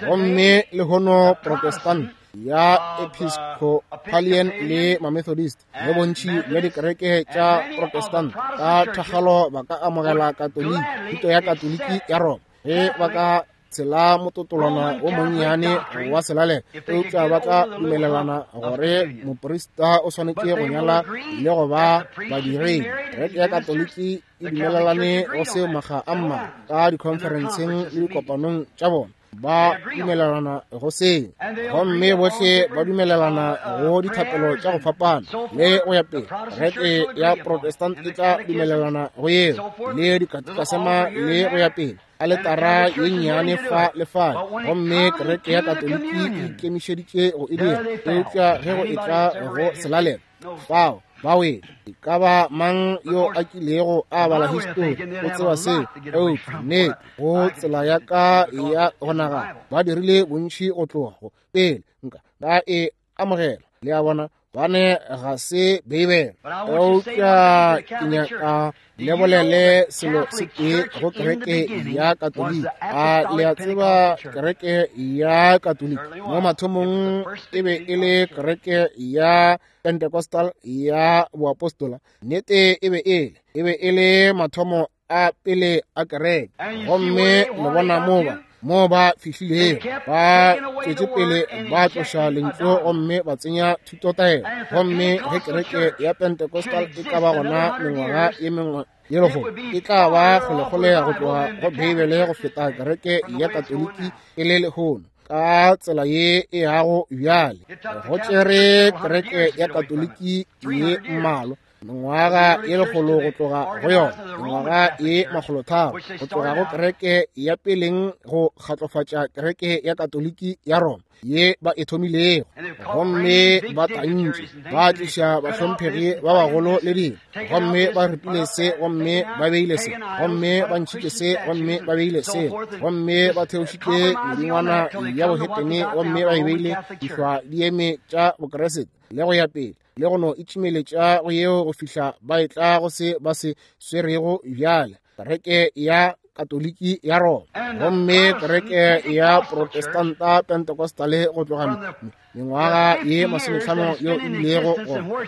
Gomme lehono Protestant ya Episcopalian le Mamethodist le bontši bja dikereke tša Protestant ka thakgalo ba ka amogela Katoliki, thuto ya Katoliki ya Roma, ge ba ka tshela mototolwana o monnyane wa selalelo, eupša ba tla dumelelana gore moprista o swanetše go nyala le go ba badiredi. Kereke ya Katoliki e dumelelane go seo makga a mmalwa ka dikhonferenseng le dikopanong tša bona, ba dumelelana go seo, gomme bohle ba dumelelana go dithapelo tša go fapana le go ya pele. Kereke ya Protestant e tla dumelelana go yeo le dikatikasema le go ya pele, aletara ye nnyane fa le fale, gomme kereke ya Katoliki e ikemišeditše go e dira. Eupša ge go etla go selalelo, fao ba wele. E ka ba mang yo a kilego a bala histori o tseba seo, eupša nnete go tsela ya ka ya go nagana ba dirile bontši go tloga go pele nka ba e amogela. Le a bona, bane ga se Beibele. Eupša ke nyaka le bolele selo se tee go kereke ya Katoliki. A le a tseba kereke ya Katoliki mo mathomong e be e le kereke ya Pentecostal ya boapostola? Nnete e be e le, e be e le mathomo a pele a kereke. Gomme le bona mo ba fihlilego, ba tšwetše pele ba tloša lentšu gomme ba tsenya thutotaelo. Gomme ge kereke ya Pentecostal e ka ba gona mengwaga ye mengwe ye lekgolo, e tla ba kgolekgole go tloga go Beibele go feta kereke ya Katoliki e le lehono ka tsela ye e yago bjale. Go tšere kereke ya Katoliki ye mmalwa mengwaga ye lekgolo go tloga go yona, mengwaga ye 300 go tloga go kereke ya peleng go kgatlofatša kereke ya Katoliki ya Roma ye ba e thomilego. Gomme ba tantše ba tliša bahlomphegi ba bagolo le dilo, gomme ba ripile se, gomme ba beile se, gomme ba ntšhitše se, gomme ba beile se, gomme ba theošitše medingwana ya bohetene, gomme ba e beile dihlwa di eme tša Bokeresete le go ya pele, le go no itšimeletša go yeo go fihla ba etla go se ba se swerego bjale, kereke ya Katoliki ya Roma. Gomme kereke ya Protestanta Pentecostale go tloga mengwaga ye 50 yeo e bilego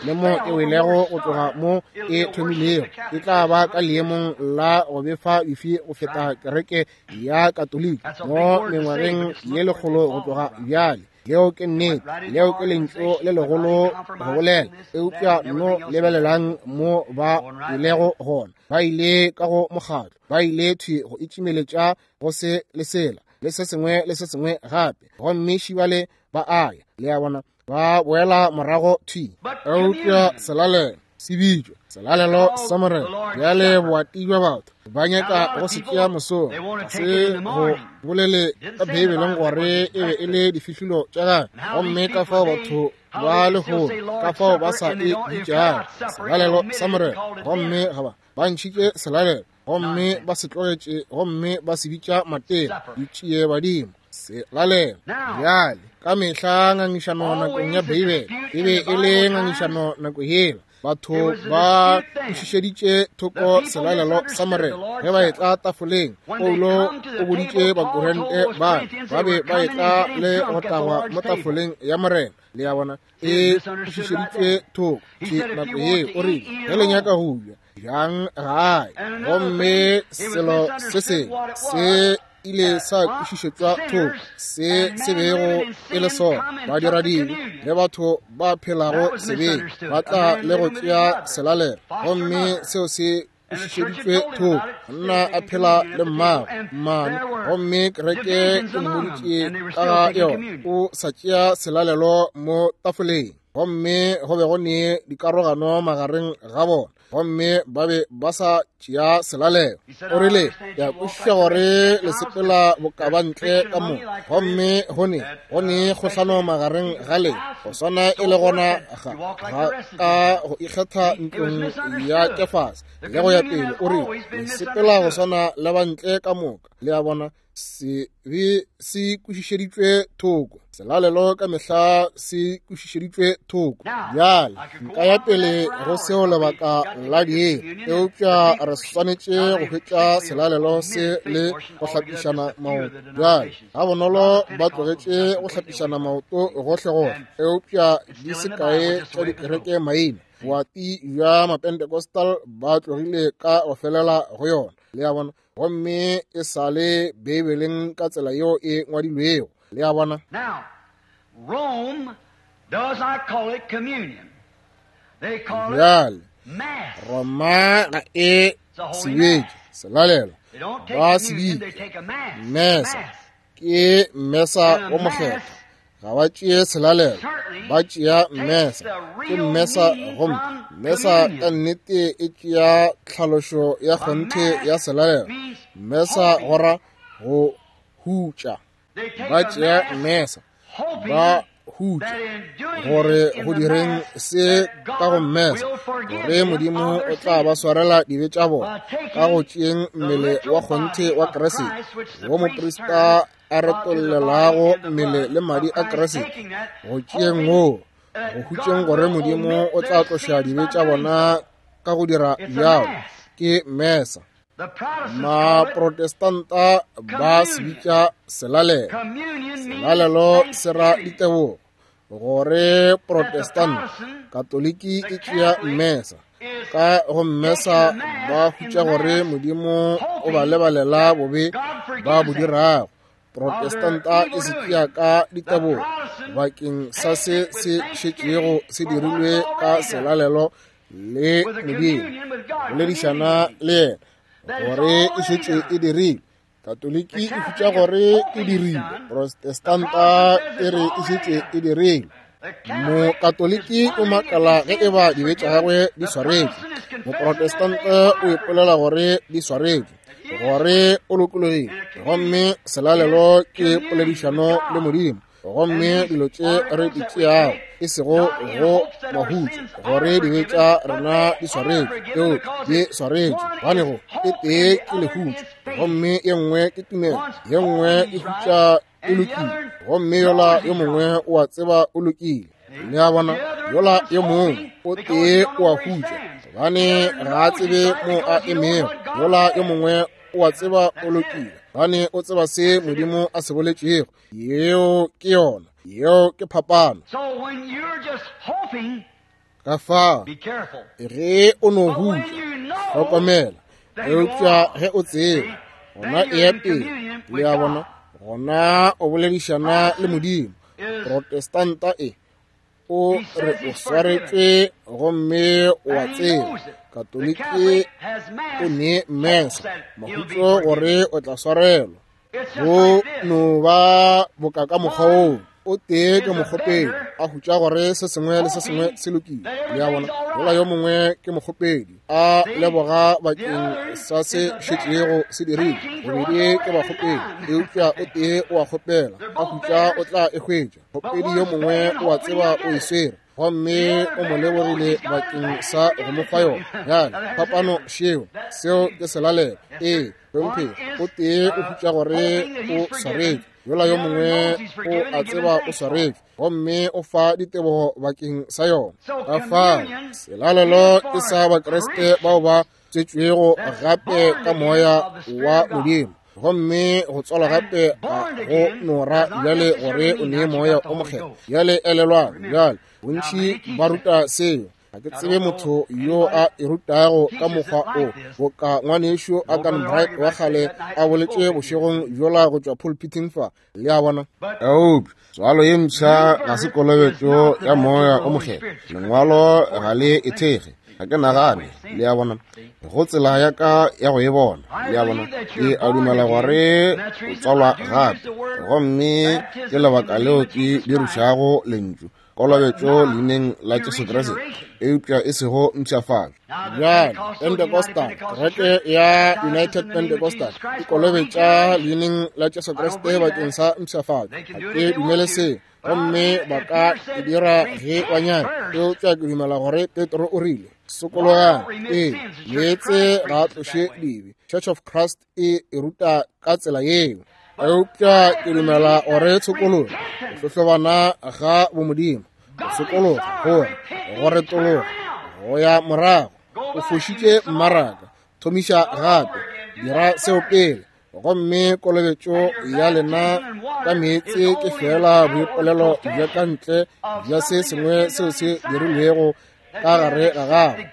le mo e welego go tloga mo e thomilego, e tla ba ka leemong la go befa bifi go feta kereke ya Katoliki mo mengwageng ye lekgolo go tloga bjale. Leo ke nnete, leo ke lentšu le legolo go bolela, eupša no lebelelang mo ba ilego gona. Ba ile ka go mokgatlo, ba ile thwi go itšimeletša go se le sela le se sengwe le se sengwe gape, gomme šibale ba aya. Le a bona, ba boela morago thwi. Eupša selalelo se bitšwa selalelo sa Morena. Bjale boati bja batho ba nyaka go se tšea mosong, ga se go bolele ka Beibeleng gore e be e le difihlolo tša gagwe, gomme ka fao batho ba lehono ka fao ba sa e bitšago selalelo sa Morena. Gomme ga ba ntšhitše selalelo gomme ba se tlogetše gomme ba se bitša matena, ditšie badimo, selalelo. Bjale ka mehla ngangišano nakong ya Beibele e be e le ngangišano nako yela. Batho ba kwešišeditše thoko selalelo sa Morena ge ba etla tafoleng. Paulo o boditše Bakorinte ba ba be ba etla le go tagwa mo tafoleng ya Morena. Le a bona, e kwešišeditše thoko nako yeo. O rile, ge le nyaka go ja, jang gae. Gomme selo se sengwe se ile sa kwešišetšwa thoko se se bego e le sona. Badiradibe le batho ba phelago sebeng ba tla le go tšea selalelo, gomme seo se kwešišeditšwe thoko. Monna a phela le mmagwe mmane, gomme kereke e mmoditše ka ga yona, o sa tšea selalelo mo tafoleng. Gomme go be go ne dikarogano magareng ga bona. Gomme ba be ba sa tšea selalelo. O rile, Ke a kwešiša gore le sepela bokabantle ka mo, gomme go ne, go ne kgohlano magareng ga lena, go swana e le gona ga, ga ka go ikgetha ntlong ya Kefase, le go ya pele. O rile, Le sepela go swana le bantle ka moka. Le a bona? Sebe se kwešišeditšwe thoko. Selalelo ka mehla se kwešišeditšwe thoko. Bjale nka ya pele go seo lebaka la diiri, eupša re swanetše go hwetša selalelo se le go hlapišana maoto. Bjale gabonolo ba tlogetše go hlapišana maoto gohlegohle, eupša di se kae tša dikereke maina boati bja Mapentecostal ba tlogile ka go felela go yona. Le a bona? Gomme e sa le Beibeleng ka tsela yeo e ngwadilwego. Le a bona? Now, Rome does not call it communion. They call it Bjale, mass. Roma ga e It's a se holy bitše mass. selalelo, They don't take ba se communion, they bitša take a mass. mesa. Mass. Ke mesa And a wo mokgethwa. mass Ga ba tšee selalelo, certainly ba tšea takes mesa. the Ke real mesa, meaning gomme from mesa ka communion. nnete e tšea tlhalošo ya A kgonthe mass ya selalelo. means Mesa hoping. go ra go hutša. They take Ba a tšea mass mesa, hoping ba hutša that in doing gore this in go the direng mass se that ka go God mesa, will forgive gore them Modimo of their o tla ba sins swarela dibe tša bona by ka go taking tšeeng the mmele wa literal kgonthe body wa of Kriste, Christ, which the wo priest moprista turned a to the body retollelago and the mmele blood le madi of a Christ, Kriste, taking that, go tšeeng hoping woo, that go hutšeng God gore will Modimo omit o tla their tloša sins dibe by tša doing bona so. ka go dira It's a bjalo. mass. Ke mesa. The Protestants call it Maprotestanta ba se communion. bitša selalelo. Communion means Selalelo se ra thanksgiving. ditebogo. Gore That the Protestant, Protestant, Katoliki the e tšea Catholic, mesa. is Ka go taking mesa the mass ba in hutša the gore mass, Modimo o ba hoping lebalela that bobe God ba forgives bo them dirago. of their Protestanta e evil se doing. tšea ka The ditebogo Protestant bakeng sa takes se it with se thanksgiving šetšego se for what's dirilwe ka already done, selalelo le with a Modimo, communion with God, boledišana communing with Him, le yena that it's gore e already šetše e done. dirilwe. The Katoliki e hutša Catholic is gore e hoping it's dirilwe, done. The Protestanta Protestant says e it's re e already šetše done. e dirilwe. The Catholic is Mokatoliki o wondering if makala his ge e sins ba is dibe tša forgiven. gagwe di The swaretšwe. Protestant is confessing that they Moprotestante o are ipolela forgiven. gore di swaretšwe, That he is gore free. o lokologile. And a Gomme communion selalelo is ke communion with poledišano le God. Modimo. And Gomme these dilo tše re articles di that we tšeago take, e sego not in go hopes that our mahutso, sins are gore dibe forgiven, tša but rena they di are swaretšwe, forgiven eupša because di it's swaretšwe. one Gobane is go e hope and tee the ke other lehutšo, is faith. gomme ye nngwe ke tumelo, One's ye nngwe hoping e he's right, hutša e and the lokile, other gomme yola knows yo he's mongwe right. o a tseba o lokile. See? Le a bona, The other yola one's yo mongwe hoping o because he tee don't o know a where he hutša, stands. The gobane other ga a knows he's tsebe right mo a because he knows emego. what God Yola yo said. mongwe o a tseba o That's it. lokile, gobane o tseba se That's the Modimo difference. a se boletšego. Yeo ke yona, yeo ke phapano. So when you're just hoping, Ka fao, be careful. ge o no But when hutša, you know hlokomela. that you Eupša are, ge o tseba, see, gona then e you're ya in pele. communion Le with a bona, God. gona o boledišana le Protestant Modimo. is, Protestanta e o he re says o he's forgiven, swaretšwe gomme o a and he tseba. knows it. The Katoliki Catholic has o mass, ne hopes mesa, that he'll be mahutso forgiven. gore o tla swarelwa. It's just Go like this. no ba boka ka mokgwa woo. One O tee ke is a mokgopedi, beggar a hutša gore se sengwe le se sengwe hoping se lokile. that Le a bona, everything's all yola yo right. mongwe ke mokgopedi, a See? leboga The bakeng other sa se is a šetšego beggar se dirilwe. thanking for what's Bobedi ke already been bakgopedi, done. eupša o tee o a kgopela, They're a both hutša o beggars, tla e hwetša. but Mokgopedi yo one's mongwe begging o a hoping tseba he'll o get e it. swere, gomme The other o mo beggar knows lebogile he's got it bakeng back and sa go forgiven mo it fa to yona. him. Now Bjale there's the phapano difference. šeo, That's seo the ke selalelo. Yes, Ee, sir. One hlomphegi, o is tee o hutša gore hoping that o he's forgiven. swaretšwe, yola The yo other mongwe knows he's o forgiven a and giving tseba o thanks for it. swaretšwe, gomme o fa ditebogo bakeng sa yona. So Ka fao, communion is selalelo ke for sa Bakriste bao ba Christians tswetšwego that's gape born ka again moya of the Spirit wa of God. Modimo. Gomme go tswalwa And gape ga born go again no ra does not bjale necessarily gore o mean nee that you moya got the o Holy mokgethwa. Ghost. Bjale elelwang, Remember. bjale Now, bontši many ba teach that. ruta seo. Ga ke I tsebe don't know motho yo anybody a e rutago ka teaches it mokgwa o, like this. boka ngwanešu No Agan brother Bright argued wa back there kgale that night a in the boletše pulpit here. bošegong bjola go tšwa pulpiting fa. Le a bona? But Eupša tswalo ye new mpsha ga se birth is kolobetšo not the ya moya baptism of o the Holy mokgethwa. Spirit. The scripture Lengwalo doesn't support ga it. le I e don't think. thekge. See? Ga ke That's the way nagane. it's seen. Le a bona, See? go tsela ya ka ya go e bona. I Le a bona, believe that ke you're a born dumela again, gore and that's o the reason tswalwa I do use gape, the word gomme ke baptism in lebaka the name leo of ke Jesus Christ. dirišago lentšu Kolobetšo leineng la Jesu Kriste, eupša e sego mpshafatšo. Bjale, Pentecostal, kereke ya United Pentecostal e kolobetša leineng la Jesu Kriste bakeng sa mpshafatšo. Ga ke dumele seo, gomme ba ka e dira ge ba nyaka, eupša ke dumela gore Petro o rile, sokologang, ee, meetse ga a tloše dibe. Church of Christ e e ruta ka tsela yeo, eupša ke dumela gore tshokologo, go hlohlobana ga bomodimo, go sokologa, gore go retologa, go ya morago, o fošitše mmaraka, thomiša gape, dira seo pele, gomme kolobetšo ya lena ka meetse ke fela boipolelo bja ka ntle bja se sengwe seo se dirilwego ka gare ga gago,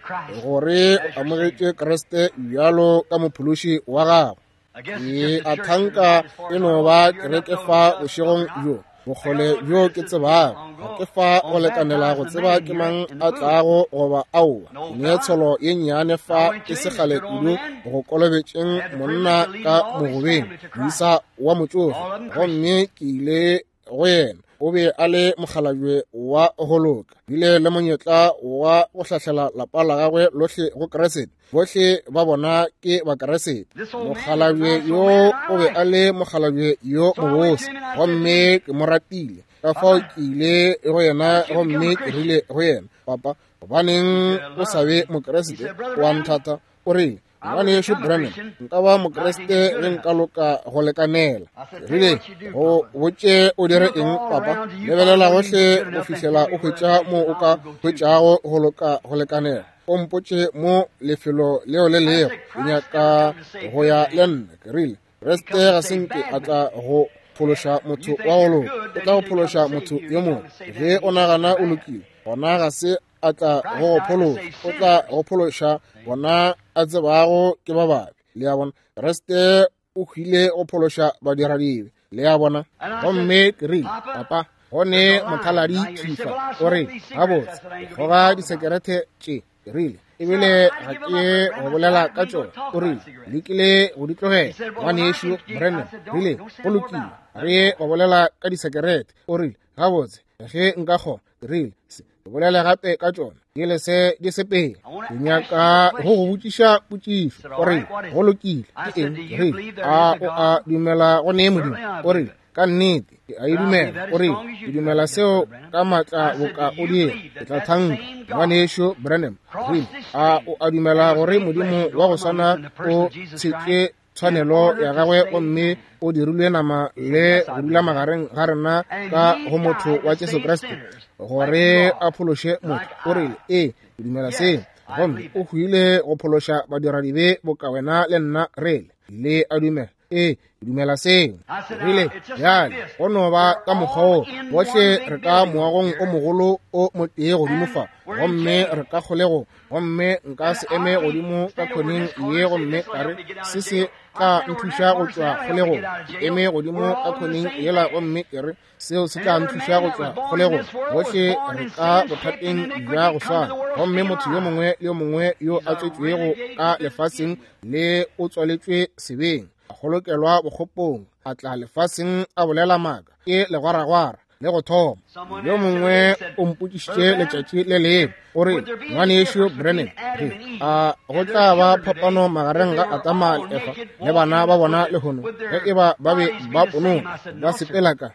gore o amogetše Kriste bjalo ka mophološi wa gago. Ke a thanka e no ba kereke fa bošegong bjo, bokgole bjo ke tsebago, ga ke fa go lekanela go tseba ke mang a tlago goba aowa. Ne tsholo ye nnyane fa e se kgale kudu go kolobetšeng monna ka mogobeng, moisa wa motšofe, gomme ke ile go yena. O be a le mokgalabje wa go loka, bile le monyetla wa go hlahlela lapa la gagwe lohle go Kriste. Bohle ba bona ke Bakriste. Mokgalabje yo o be a le mokgalabje yo mobose, gomme ke mo ratile. Ka fao ke ile go yena gomme ke rile go yena, papa, gobaneng o sa be Mokriste? Wa nthata. O rile, ngwanešu Branham, nka ba Mokriste ge nka loka go lekanela. Rile, go botše o dire eng, papa? Lebelela gohle go fihlela o hwetša mo o ka hwetšago go loka go lekanela. O mpotše mo lefelo leo le lego, ke nyaka go ya le nna. Ke rile, Kriste ga se nke a tla go phološa motho wa go loka, o tla go phološa motho yo mongwe. Ge o nagana o lokile, gona ga se a tla go go phološa, o tla go phološa bona a tsebago ke ba babe. Le a bona, Kriste o hwile go phološa badiradibe. Le a bona. Gomme ke rile, papa, go ne mothaladi thifa. O re, gabotse, ke kgoga disekerete tše. Ke rile, ebile ga ke go bolela ka tšona. O rile, lekile go di tlogela, ngwanešu Branham. Rile, go lokile, re go bolela ka disekerete. O rile, gabotse, ge nka kgona. Ke rile, se ke bolele gape ka tšona, di le se di sepele. Ke nyaka go go botšiša potšišo. O rile, go lokile, ke eng? Ke rile, a o a dumela go ne Modimo? O rile, ka nnete ke a e dumela. O rile, ke dumela seo ka maatla boka o dira. Ke tla thanka, ngwanešu Branham. Rile, a o a dumela gore Modimo wa go swana o tshetše tshwanelo ya gagwe gomme o dirilwe nama le go dula magareng ga rena ka go motho wa Jesu Kriste gore a phološe motho? O rile, ee, ke dumela seo. Gomme o hwile go phološa badiradibe boka wena le nna re le. Le a dumela? Ee, ke dumela seo. Rile, bjale go no ba ka mokgwa wo, bohle re ka moagong o mogolo o motee godimo fa, gomme re ka kgolegong, gomme nka se eme godimo ka khoneng ye gomme ka re se se tla nthuša go tšwa kgolegong. Ke eme godimo ka khoneng yela gomme ke re seo se tla nthuša go tšwa kgolegong. Bohle re ka bothateng bja go swana, gomme motho yo mongwe le yo mongwe yo a tswetšwego ka lefaseng le o tswaletšwe sebeng, a kgolokelwa bokgopong, a tla lefaseng a bolela maaka, ke legwaragwara le go thoma. Yo mongwe o mpotšišitše letšatši le lengwe, o re, ngwanešu Branham, re a go tla ba phapano magareng ga Adama le Efa le bana ba bona lehono, ge e ba ba be ba ponong ba sepela ka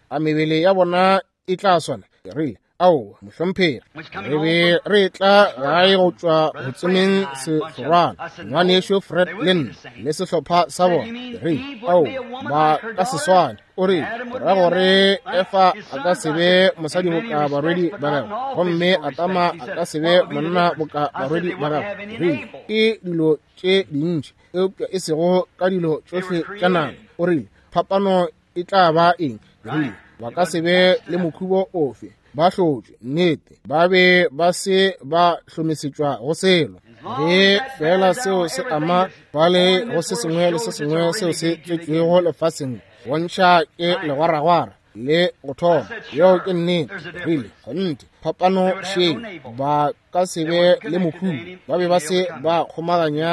a mebele ya bona e tla swana? Ke rile, aowa, mohlomphegi. Re be re tla gae go tšwa go tsomeng sehlorwana, ngwanešu Fred le nna le sehlopha sa bona. Ke rile, aowa, ba ka se swane. O rile, ra gore Efa a ka se be mosadi boka barwedi ba gagwe, gomme Adama a ka se be monna boka barwedi ba gagwe. Ke rile, ke dilo tše dintši, eupša e sego ka dilo tšohle tša nama. O rile, phapano e tla ba eng? Ke rile, ba ka se be le mokhubo ofe, ba hlotšwe, nnete, ba be ba se ba hlomesetšwa go selo. Ge fela seo se ama fale go se sengwe le se sengwe seo se tswetšwego lefaseng, bontšha ke legwaragwara le go thoma. Yeo ke nnete. Rile, kgonthe, phapano šeo, ba ka se be le mokhubo, ba be ba se ba kgomaganya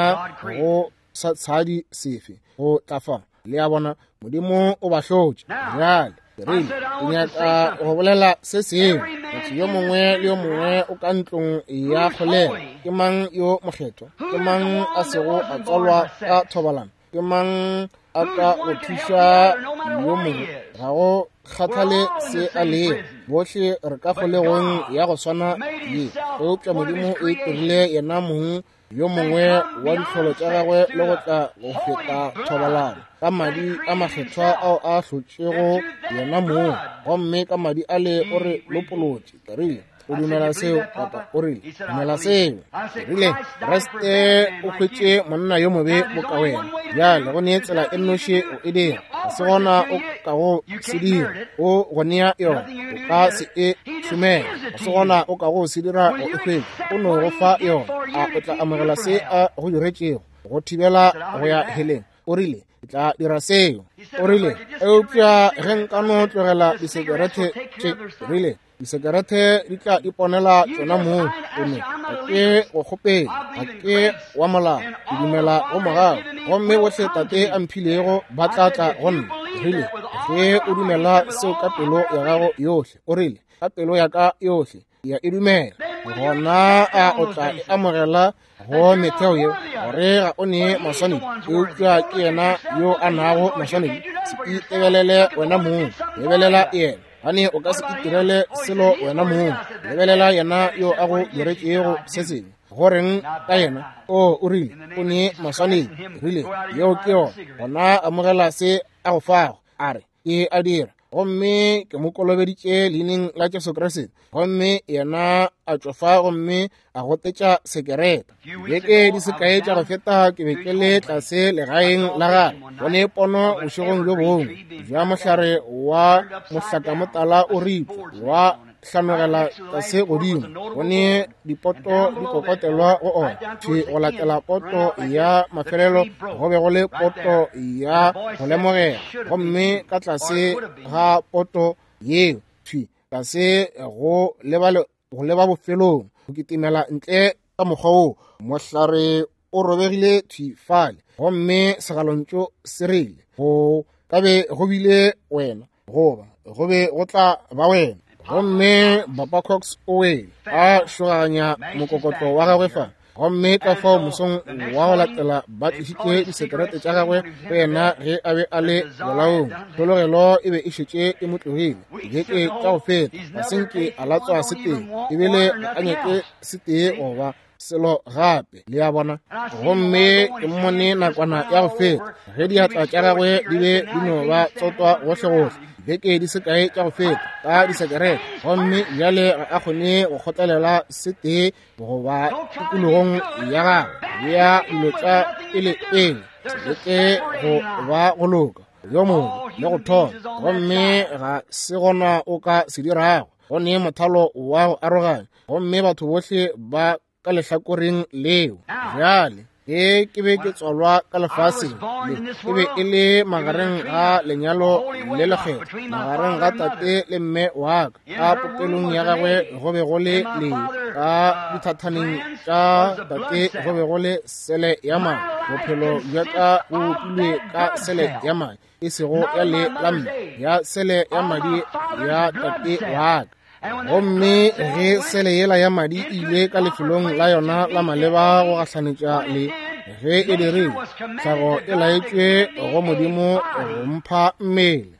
go sa tshadi sefe go tla fa. Le a bona, Modimo o ba hlotše. Bjale, rile, ke nyaka go bolela se sengwe. Motho yo mongwe le yo mongwe o ka ntlong ya kgolego. Ke mang yo mokgethwa? Ke mang a sego a tswalwa ka thobalano? Ke mang a ka go thuša yo mongwe? Ga go kgathale se a lego, bohle re ka kgolegong ya go swana ye. Eupša Modimo o itirile yena mong yo mongwe wa ditlholo tša gagwe le go tla go feta thobalano ka madi a makgethwa ao a hlotšego yena mong, gomme ka madi ale o re lopolotše. Ke rile, o dumela seo, papa? O rile, dumela seo. Ke rile, Kriste o hwetše monna yo mobe boka wena. Bjale go nee tsela e nnoši o e dira, ga se gona o ka go se dira, o go nea yona, o ka se e šomela, ga se gona o ka go se dira go e hwetša, o no go fa yona. A o tla amogela se a go diretšego go thibela go ya heleng? O rile, ke tla dira seo. O rile, eupša ge nka no tlogela disekerete tše, rile, disekerete di tla iponela tšona mong. O no, ga ke go kgopele, ga ke wa molao, ke dumela go mogau, gomme bohle Tate a mphilego ba tla tla go nna. Rile, ge o dumela seo ka pelo ya gago yohle, o rile, ka pelo ya ka yohle ya e dumela, gona a o tla e amogela go metheo yeo, gore ga o nee maswanedi, eupša ke yena yo a nago maswanedi. Se itebelele wena mong, lebelela yena. Gane o ka se itirele selo wena mong, lebelela yena yo a go diretšego se sengwe. Goreng ka yena? O o rile, o nee maswanedi. Rile, yeo ke yona. Gona amogela se a go fago. A re, ke a dira. Gomme ke mo kolobeditše leineng la Jesu Kriste. Gomme yena a tšofa gomme a gotetša sekerete. Beke di sekae tša go feta ke be ke le tlase legaeng la gagwe. Go ne pono bošegong bjo bongwe bja mohlare wa mohlakamotala o ripwa wa hlanogela tlase godimo. Go ne dipoto di kokotelwa go ona. Thwi go latela poto ya mafelelo go be go le poto ya go lemogela, gomme ka tlase ga poto yeo thwi tlase go leba bofelong go kitimela ntle ka mokgwa wo mohlare o robegile thwi fale, gomme segalontšu se rile, go ka be go bile wena, goba go be go tla ba wena. Gomme Papa Cox o wele a šoganya mokokotlo wa gagwe fa, gomme ka fao mosong wa go latela ba tlišitše disekerete tša gagwe go yena ge a be a le bolaong. Tlhologelo e be e šetše e mo tlogile beke tša go feta, ga se nke a latswa setee, ebile ga a nyake setee goba selo gape, le a bona. Gomme ke mmone nakwana ya go feta ge diatla tša gagwe di be di no ba tsotwa gohlegohle beke di sekae tša go feta ka disekerete, gomme bjale ga a kgone go kgotlelela setee goba tikologong ya gagwe ya dilo tša pele pele, leke go ba go loka yo mongwe le go thoma, gomme ga se gona o ka se dirago. Go ne mothalo wa go aroganya, gomme batho bohle ba ka lehlakoreng leo. Bjale ge ke be ke tswalwa ka lefaseng le, e be e le magareng ga lenyalo le lekgetho, magareng ga tate le mme wa ka. Ka popelong ya gagwe go be go le lee, ka dithathaneng tša tate go be go le sele ya madi. Bophelo bja ka bo bopilwe ka sele ya madi, e sego ya le la mme, ya sele ya madi ya tate wa ka. Gomme ge sele yela ya madi e ile ka lefelong la yona la maleba go gahlanetša le ge e dirile, tlhago e laetšwe go Modimo go mpha mmele.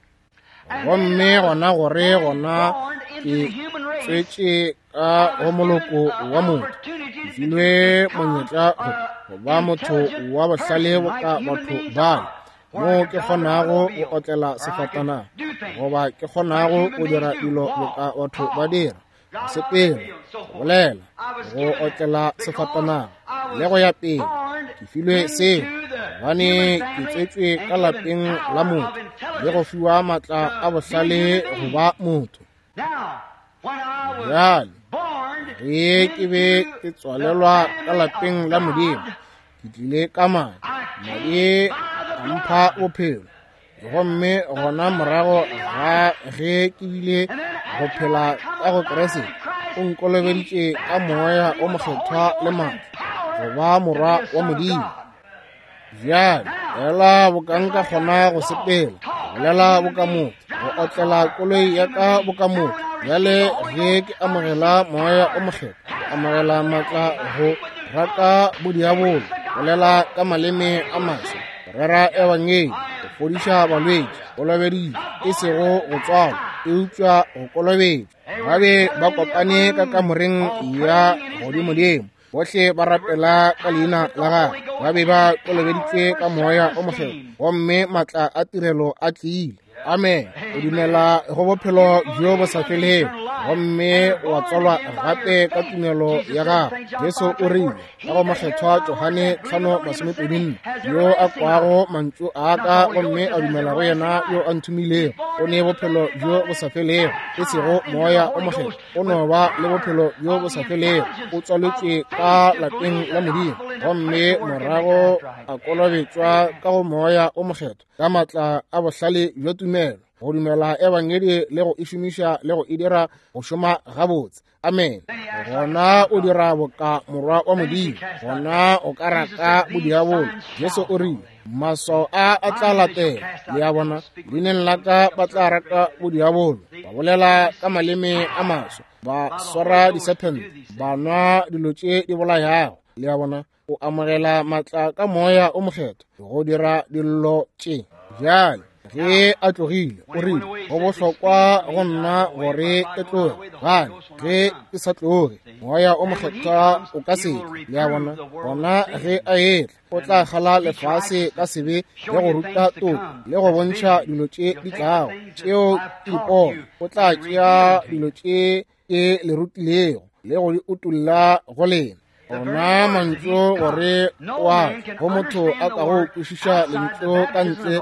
Gomme gona gore gona ke tswetše ka go moloko wa motho, ke filwe monyetla go ba motho wa bohlale boka batho bale, mo ke kgonago go otlela sefatanaga, goba ke kgonago go dira dilo boka batho ba dira, go sepela, go bolela, go otlela sefatanaga le go ya pele. Ke filwe seo gobane ke tswetšwe ka lapeng la motho le go fiwa maatla a bohlale go ba motho. Bjale ge ke be ke tswalelwa ka lapeng la Modimo, ke tlile ka madi, madi a mpha bophelo. Gomme gona morago ga ge ke bile go phela ka go Kriste, o nkolobeditše ka moya o mokgethwa le matla go ba morwa wa Modimo. Bjale ela boka nka kgona go sepela, go bolela boka motho, go otlela koloi ya ka boka motho, Bjale ge ke amogela Moya o Mokgethwa, ke amogela maatla go raka bodiabolo, bolela ka maleme a maswa, go rera ebangedi, go fodiša balwetši, kolobeditšwe, e sego go tswalwa, eupša go kolobetšwa. Ba be ba kopane ka kamoreng ya godimodimo, bohle ba rapela ka leina la gagwe. Ba be ba kolobeditšwe ka Moya o Mokgethwa, gomme maatla a tirelo a tlile. Amen. O dumela go bophelo bjo bo sa felego, gomme wa tswalwa gape ka tumelo ya gago. Jesu o rile ka go Mokgethwa Johane 5:24, yo a kwago mantšu a ka gomme a dumela go yena yo a nthomilego, o ne bophelo bjo bo sa felego, e sego Moya o Mokgethwa. O no ba le bophelo bjo bo sa felego, o tswaletšwe ka lapeng la Modimo, gomme morago a kolobetšwa ka go Moya o Mokgethwa ka maatla a bohlale bja tumelo, go dumela ebangedi le go e šomiša le go e dira go šoma gabotse. Amen. Gona o dira boka morwa wa Modimo, gona o ka raka bodiabolo. Jesu o rile, maswao a a tla latela, le a bona, leineng la ka ba tla raka bodiabolo, ba bolela ka maleme a maswa, ba swara disephente, ba nwa dilo tše di bolayago. Le a bona, o amogela maatla ka Moya o Mokgethwa go dira dillo tše. Bjale ge a tlogile, o rile, go bohlokwa go nna gore ke tloge, gane ge ke sa tloge Moya o Mokgethwa o ka se tle. Le a bona, gona ge a etla o tla kgala lefase ka sebe le go ruta toko le go bontšha dilo tše di tlago tšeo ke dipono. O tla tšea dilo tše ke le rutilego le go di utolla go lena. Ona mantšu gore wa go motho a ka go kwešiša lentšu ka ntle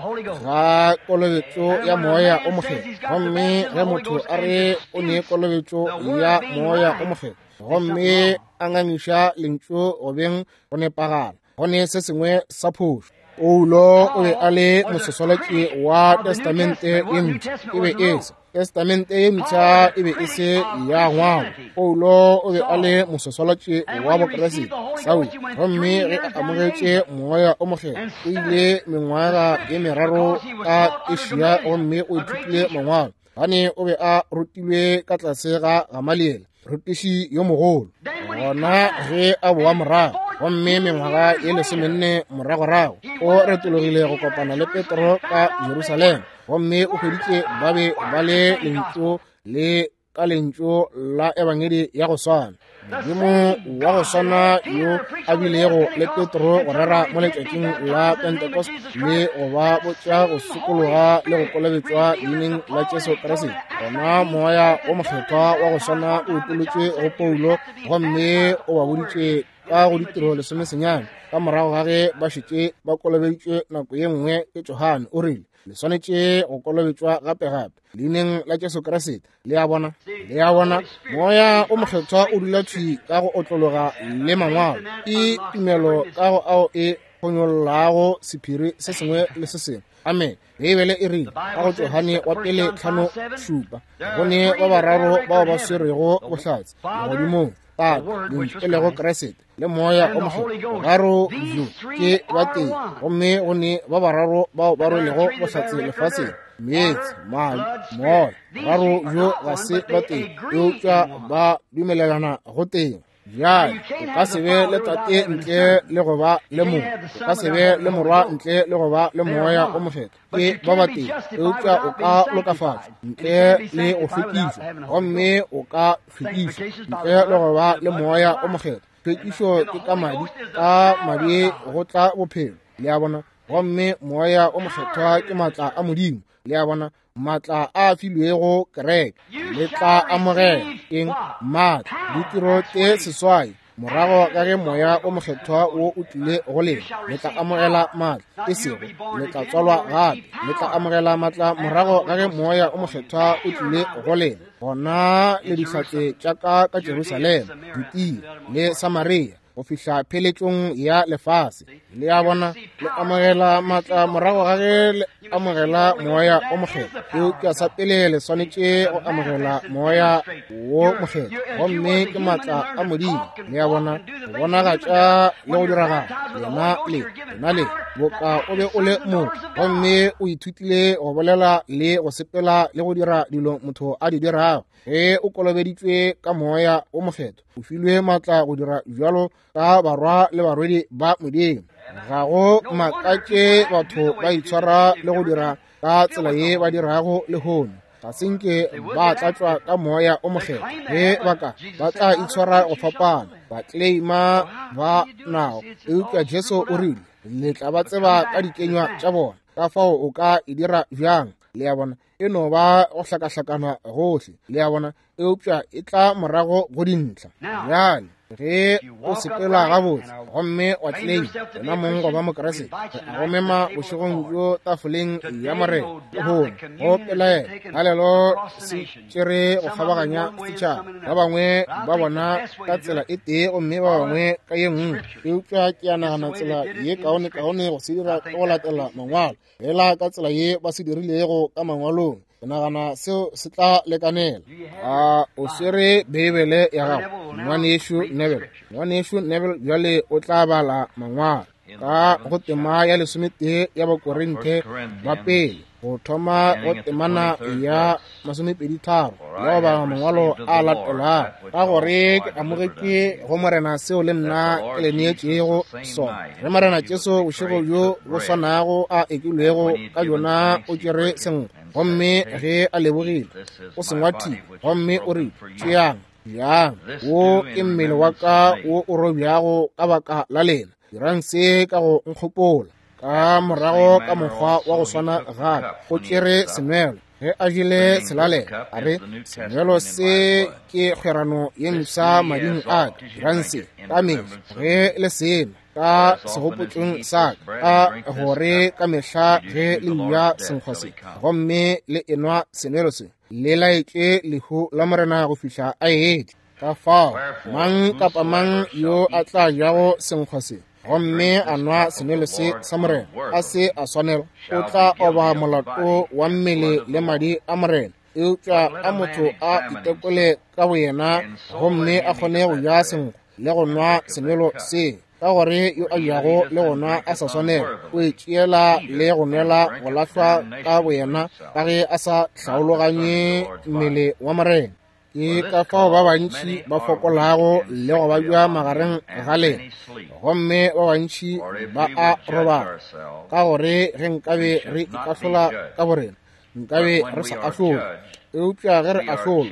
ga kolobetšo ya Moya o Mokgethwa. Gomme ge motho a re o ne kolobetšo ya Moya o Mokgethwa gomme a ngangiša lentšu go beng go nepagala, go ne se sengwe sa phošo. Paulo o be a le mososwalatši wa Testamente ye Mpsha. E be e se Testamente ye Mpsha, e be e se ya ngwalo. Paulo o be a le mososwalatši wa Bokriste, Saul, gomme ge a amogetše Moya o Mokgethwa, o ile mengwaga ye meraro ka Asia gomme o ithutile mangwalo, gane o be a rutilwe ka tlase ga Gamaliele, rutiši yo mogolo. Gona ge a boa morago, gomme mengwaga ye 14 moragorago, o retologile go kopana le Petro ka Jerusalema, gomme o hweditše ba be ba le lentšu le ka lentšu la ebangedi ya go swana. Modimo wa go swana yo a bilego le Petro go rera mo letšatšing la Pentecost le go ba botša go sokologa le go kolobetšwa leineng la Jesu Kriste, gona Moya o Mokgethwa wa go swana o utolotšwe go Paulo gomme o ba boditše ka go ditiro 19 ka morago ga ge ba šetše ba kolobeditšwe nako ye nngwe ke Johane, o rile, le swanetše go kolobetšwa gape-gape leineng la Jesu Kriste. Le a bona, le a bona, Moya o Mokgethwa o dula thwi ka go otlologa le mangwalo. Ke tumelo ka go ao e phonyollago sephiri se sengwe le se sengwe. Amen. Beibele e rile ka go Johane wa pele 5:7, go ne ba bararo bao ba swerego bohlatse legodimong, Tate, Lentšu e lego Kriste, le Moya o Mokgethwa. Boraro bjo ke ba tee, gomme go ne ba bararo bao ba rwelego bohlatse lefaseng, meetse, madi, moya. Boraro bjo ga se ba tee, eupša ba dumelelana go tee. Bjale o ka se be le Tate ntle le go ba le Morwa, o ka se be le Morwa ntle le go ba le Moya o Mokgethwa. Ke ba batee, eupša o ka lokafatšwa ntle le go hlwekišwa, gomme o ka hlwekišwa ntle le go ba le Moya o Mokgethwa. Hlwekišo ke ka madi, ka madi go tla bophelo, le a bona, gomme Moya o Mokgethwa ke maatla a Modimo, le a bona, maatla a filwego kereke. Le tla amogela eng? Maatla, ditiro tše 8 morago ka ge Moya o Mokgethwa wo o tlile go lena, le tla amogela maatla, e sego le tla tswalwa gape, le tla amogela maatla morago ka ge Moya o Mokgethwa o tlile go lena. Gona le dihlatse tša ka ka Jerusalema, Judea le Samaria, go fihla pheletšong ya lefase. Le a bona, le amogela maatla morago ga ge le amogela Moya o Mokgethwa. Eupša sa pele le swanetše go amogela Moya wo Mokgethwa, gomme ke maatla a Modimo. Le a bona, go bonagatša le go diragala. Lena le, lena le boka o be o le motho, gomme o ithutile go bolela le go sepela le go dira dilo motho a di dirago. Ge o kolobeditšwe ka Moya o Mokgethwa, o filwe maatla go dira bjalo ka barwa le barwedi ba Modimo. Ga go makatše batho ba itshwara le go dira ka tsela ye ba dirago lehono. Ga se nke ba tlatšwa ka Moya o Mokgethwa. Ge ba ka ba tla itshwara go fapana, ba claima ba nago. Eupša Jesu o rile, le tla ba tseba ka dikenywa tša bona. Ka fao o ka e dira bjang? Le a bona, e no ba go hlakahlakana gohle, le a bona, eupša e tla morago go dintlha. Bjale ge o sepela gabotse gomme wa claim wena mong go ba Mokriste, go mema bošegong bjo tafoleng ya Morena lehono, go pelaela galelo se tšere go kgabaganya setšhaba, ba bangwe ba bona ka tsela e tee gomme ba bangwe ka ye nngwe. Eupša ke a nagana tsela ye kaonekaone go se dira ke go latela mangwalo, fela ka tsela ye ba se dirilego ka mangwalong. Ke nagana seo se tla lekanela. A o swere Beibele ya gago, ngwanešu Neville? Ngwanešu Neville bjale o tla bala mangwalo ka go tema ya 11 ya Bakorinthe ba pele, go thoma go temana ya 23, le go bala mangwalo a latelago. Ka gore ke amogetše go Morena seo le nna ke le neetšego sona. Ge Morena Jesu bošego bjo bo swanago a ekilwego ka bjona, o tšere senkgwa, gomme ge a lebogile, o se ngwathile, gomme o rile, tšeang, jang, wo ke mmele wa ka wo o robjago ka baka la lena, dirang se ka go nkgopola. Ka morago ka mokgwa wa go swana gape o tšere senwelo, ge a jele selalelo, a re, senwelo se ke kgwerano ye mpsha mading a ka, dirang se ka mehla ge le sena ka segopotšong sa ka, ka gore ka mehla ge le ja senkgwa se gomme le enwa senwelo se, le laetše lehu la Morena go fihla a etla. Ka fao mang kapa mang yo a tla jago senkgwa se gomme a nwa senwelo se sa Morena a se a swanela, o tla oba molato wa mmele le madi a Morena. Eupša a motho a itekole ka boyena gomme a kgone go ja senkgwa le go nwa senwelo se, ka gore yo a jago le go nwa a sa swanela o e tšeela le go nwela go lahlwa ka boyena, ka ge a sa hlaologanye mmele wa Morena. Ke ka fao ba bantši ba fokolago le go babja magareng ga lena, gomme ba bantši ba a robala. Ka gore ge nkabe re ikahlola ka borena, nkabe re sa ahlola. Eupša ge re ahlola,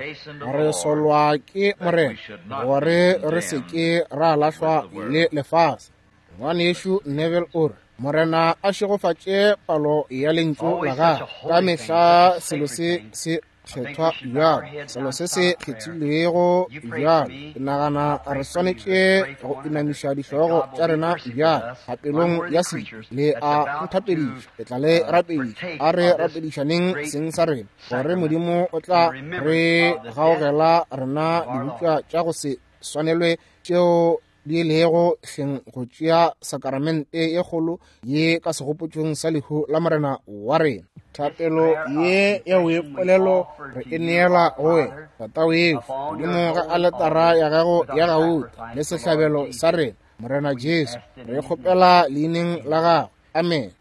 re solwa ke Morena, gore re se ke ra lahlwa le lefase. Ngwanešu Neville o re, Morena a šegofatše palo ya lentšu la gagwe. Ka mehla selo se se kgethwa bjalo, selo se se kgethilwego bjalo. Ke nagana re swanetše go inamiša dihlogo tša rena bjalo thapelong ya se le a nthapediša, ke tla le rapediša. A re rapedišaneng seng sa rena, gore Modimo o tla re gaogela rena dibopša tša go se swanelwe tšeo di lego hleng go tšea sakramente ye kgolo ye ka segopotšong sa lehu la Morena wa rena. Thapelo ye ya boipolelo re e neela go wena, Tata wešo, godimo ga aletara ya gago ya gauta le sehlabelo sa rena, Morena Jesu, re kgopela leineng la gagwe. Amen.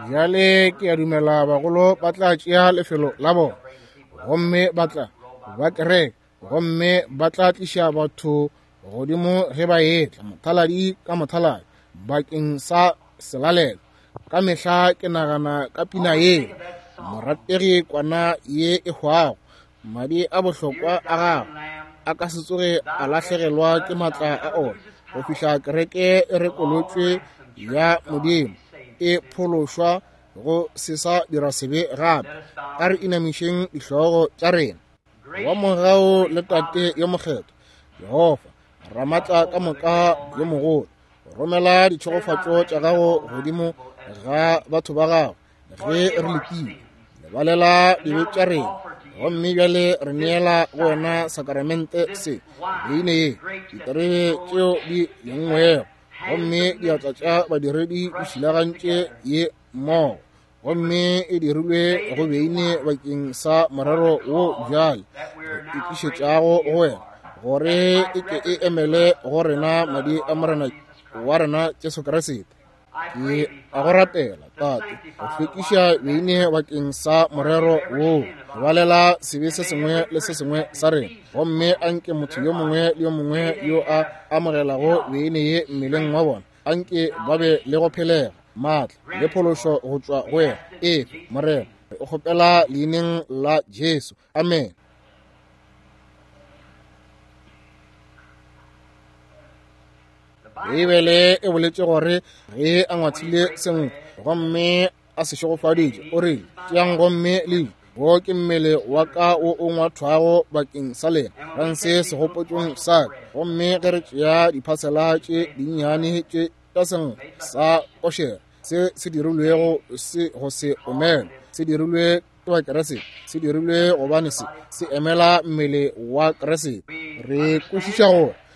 Bjale ke a dumela bagolo ba tla tšea lefelo la bona, gomme ba tla ba kereke, gomme ba tla tliša batho godimo ge ba etla mothaladi ka mothaladi bakeng sa selalelo. Ka mehla ke nagana ka pina ye, morategi kwana ye e hwago, madi a bohlokwa a gagwe a ka se tsoge a lahlegelwa ke maatla a ona go fihla kereke e rekolotšwe ya Modimo e phološwa go se sa dira sebe gape. A re inamišeng dihlogo tša rena. Wa mogau le Tate yo mokgethwa, Jehofa Ramatla ka moka yo mogolo, romela ditšhegofatšo tša gago godimo ga batho ba gago ge re lekile. Lebalela dibe tša rena, gomme bjale re neela go wena sakramente se, beine ye, diterebe tšeo di lengwego, gomme diatla tša badiredi di šilagantše ye mmogo, gomme e dirilwe go beine bakeng sa morero wo bjale re e tlišetšago go wena. gore e ke e emele go rena madi a Morena wa rena Jesu Kriste. Ke a go rapela, Tate, go hlwekiša beine bakeng sa morero woo, balela sebe se sengwe le se sengwe sa rena, gomme anke motho yo mongwe le yo mongwe yo a amogelago beine ye mmeleng wa bona, anke ba be le go phelega, maatla le phološo go tšwa go yena. Efe, Morena, re o kgopela leineng la Jesu. Amen. Beibele e boletše gore ge a ngwathile senkgwa gomme a se šegofaditše, o rile, tšeang gomme le je, wo ke mmele wa ka wo o ngwathwago bakeng sa lena, rang se segopotšong sa ka. Gomme ge re tšea diphasela tše dinnyane tše tša senkgwa sa košere se se dirilwego se go se omele, se dirilwe ke ba Keresete, se dirilwe gobane se se emela mmele wa Keresete. Re kwešiša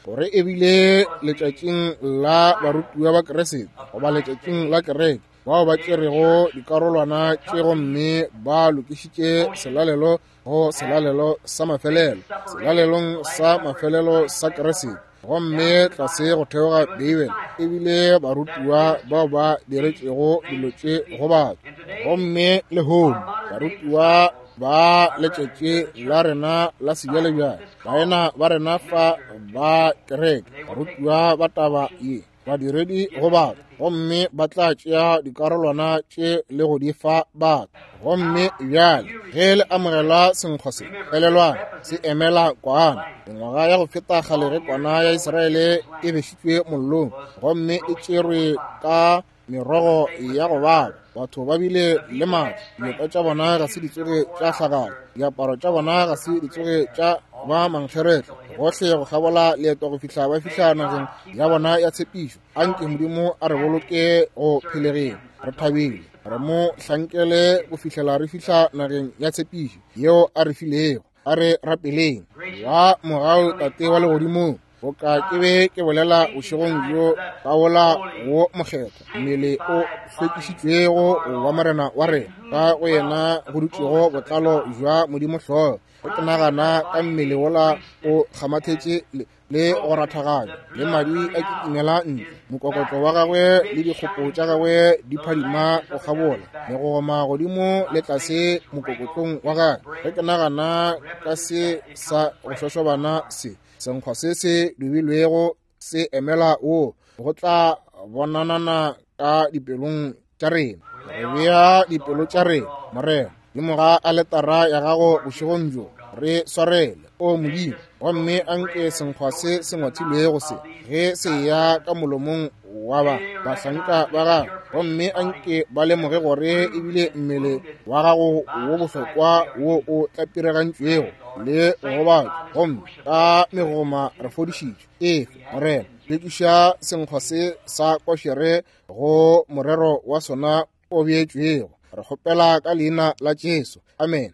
gore ebile letšatšing la barutiwa ba Keresete goba letšatšing la kereke, bao ba tšerego dikarolwana tše gomme ba lokišitše selalelo go selalelo sa mafelelo, selalelong sa mafelelo sa Keresete, gomme tlase go theoga Beibele ebile barutiwa bao ba diretšego dilo tše go batho. Gomme lehono barutiwa ba letšatši la rena la sebjalebjale, baena ba rena fa ba kereke, barutiwa ba taba ye, badiredi go batho, gomme ba tla tšea dikarolwana tše le go di fa batho. Gomme bjale ge le amogela senkgwa se, elelwang, se emela kwana. Mengwaga ya go feta kgale ge kwana ya Israele e bešitšwe mollong gomme e tšerwe ka merogo ya go baba, batho ba bile le matla, dioka tša bona ga se di tsoge tša hlagala, diaparo tša bona ga se di tsoge tša ba mankgeretla, gohle go kgabola leeto go fihla ba fihla nageng ya bona ya tshepišo. Anke Modimo a re boloke go phelegeng, re thabile, re mo hlankele go fihlela re fihla nageng ya tshepišo yeo a re filego. A re rapeleng. Wa mogau Tate wa legodimong, boka ke be ke bolela bošegong bjo ka wola wo mokgethwa, mmele o hlwekišitšwego wa Morena wa rena, ka go yena go dutšego botlalo bja Modimo hlogo. Ge ke nagana ka mmele wola o kgamathetše le go rathaganya, le madi a kitimela ntle, mokokotlo wa gagwe le dikgopo tša gagwe di phadima go kgabola, megogoma godimo le tlase mokokotlong wa gagwe. Ge ke nagana ka se sa go šošobana se, senkgwa se se dubilwego se emela wo, go tla bonanana ka dipelong tša rena. Re bea dipelo tša rena, Morena, godimo ga aletara ya gago bošegong bjo. Re swarele, o Modimo, gomme anke senkgwa se se ngwathilwego se, ge se eya ka molomong wa ba bahlanka ba gago, gomme anke ba lemoge gore ebile mmele wa gago wo bohlokwa wo o tlapiregantšwego le go gobatšwa, gomme ka megoma re fodišitšwe. Efe, Morena, hlwekiša senkgwa se sa košere go morero wa sona o beetšwego. Re kgopela ka leina la Jesu. Amen.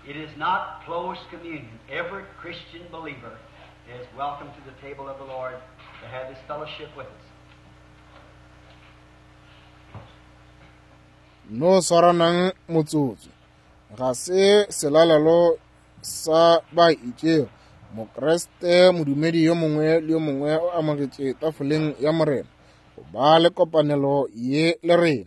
It is not closed communion. Every Christian believer is welcome to the table of the Lord to have this fellowship with us. No swaranang motsotso. Ga se selalelo sa ba itšego. Mokriste modumedi yo mongwe le yo mongwe o amogetše tafoleng ya Morena go ba le kopanelo ye le rena.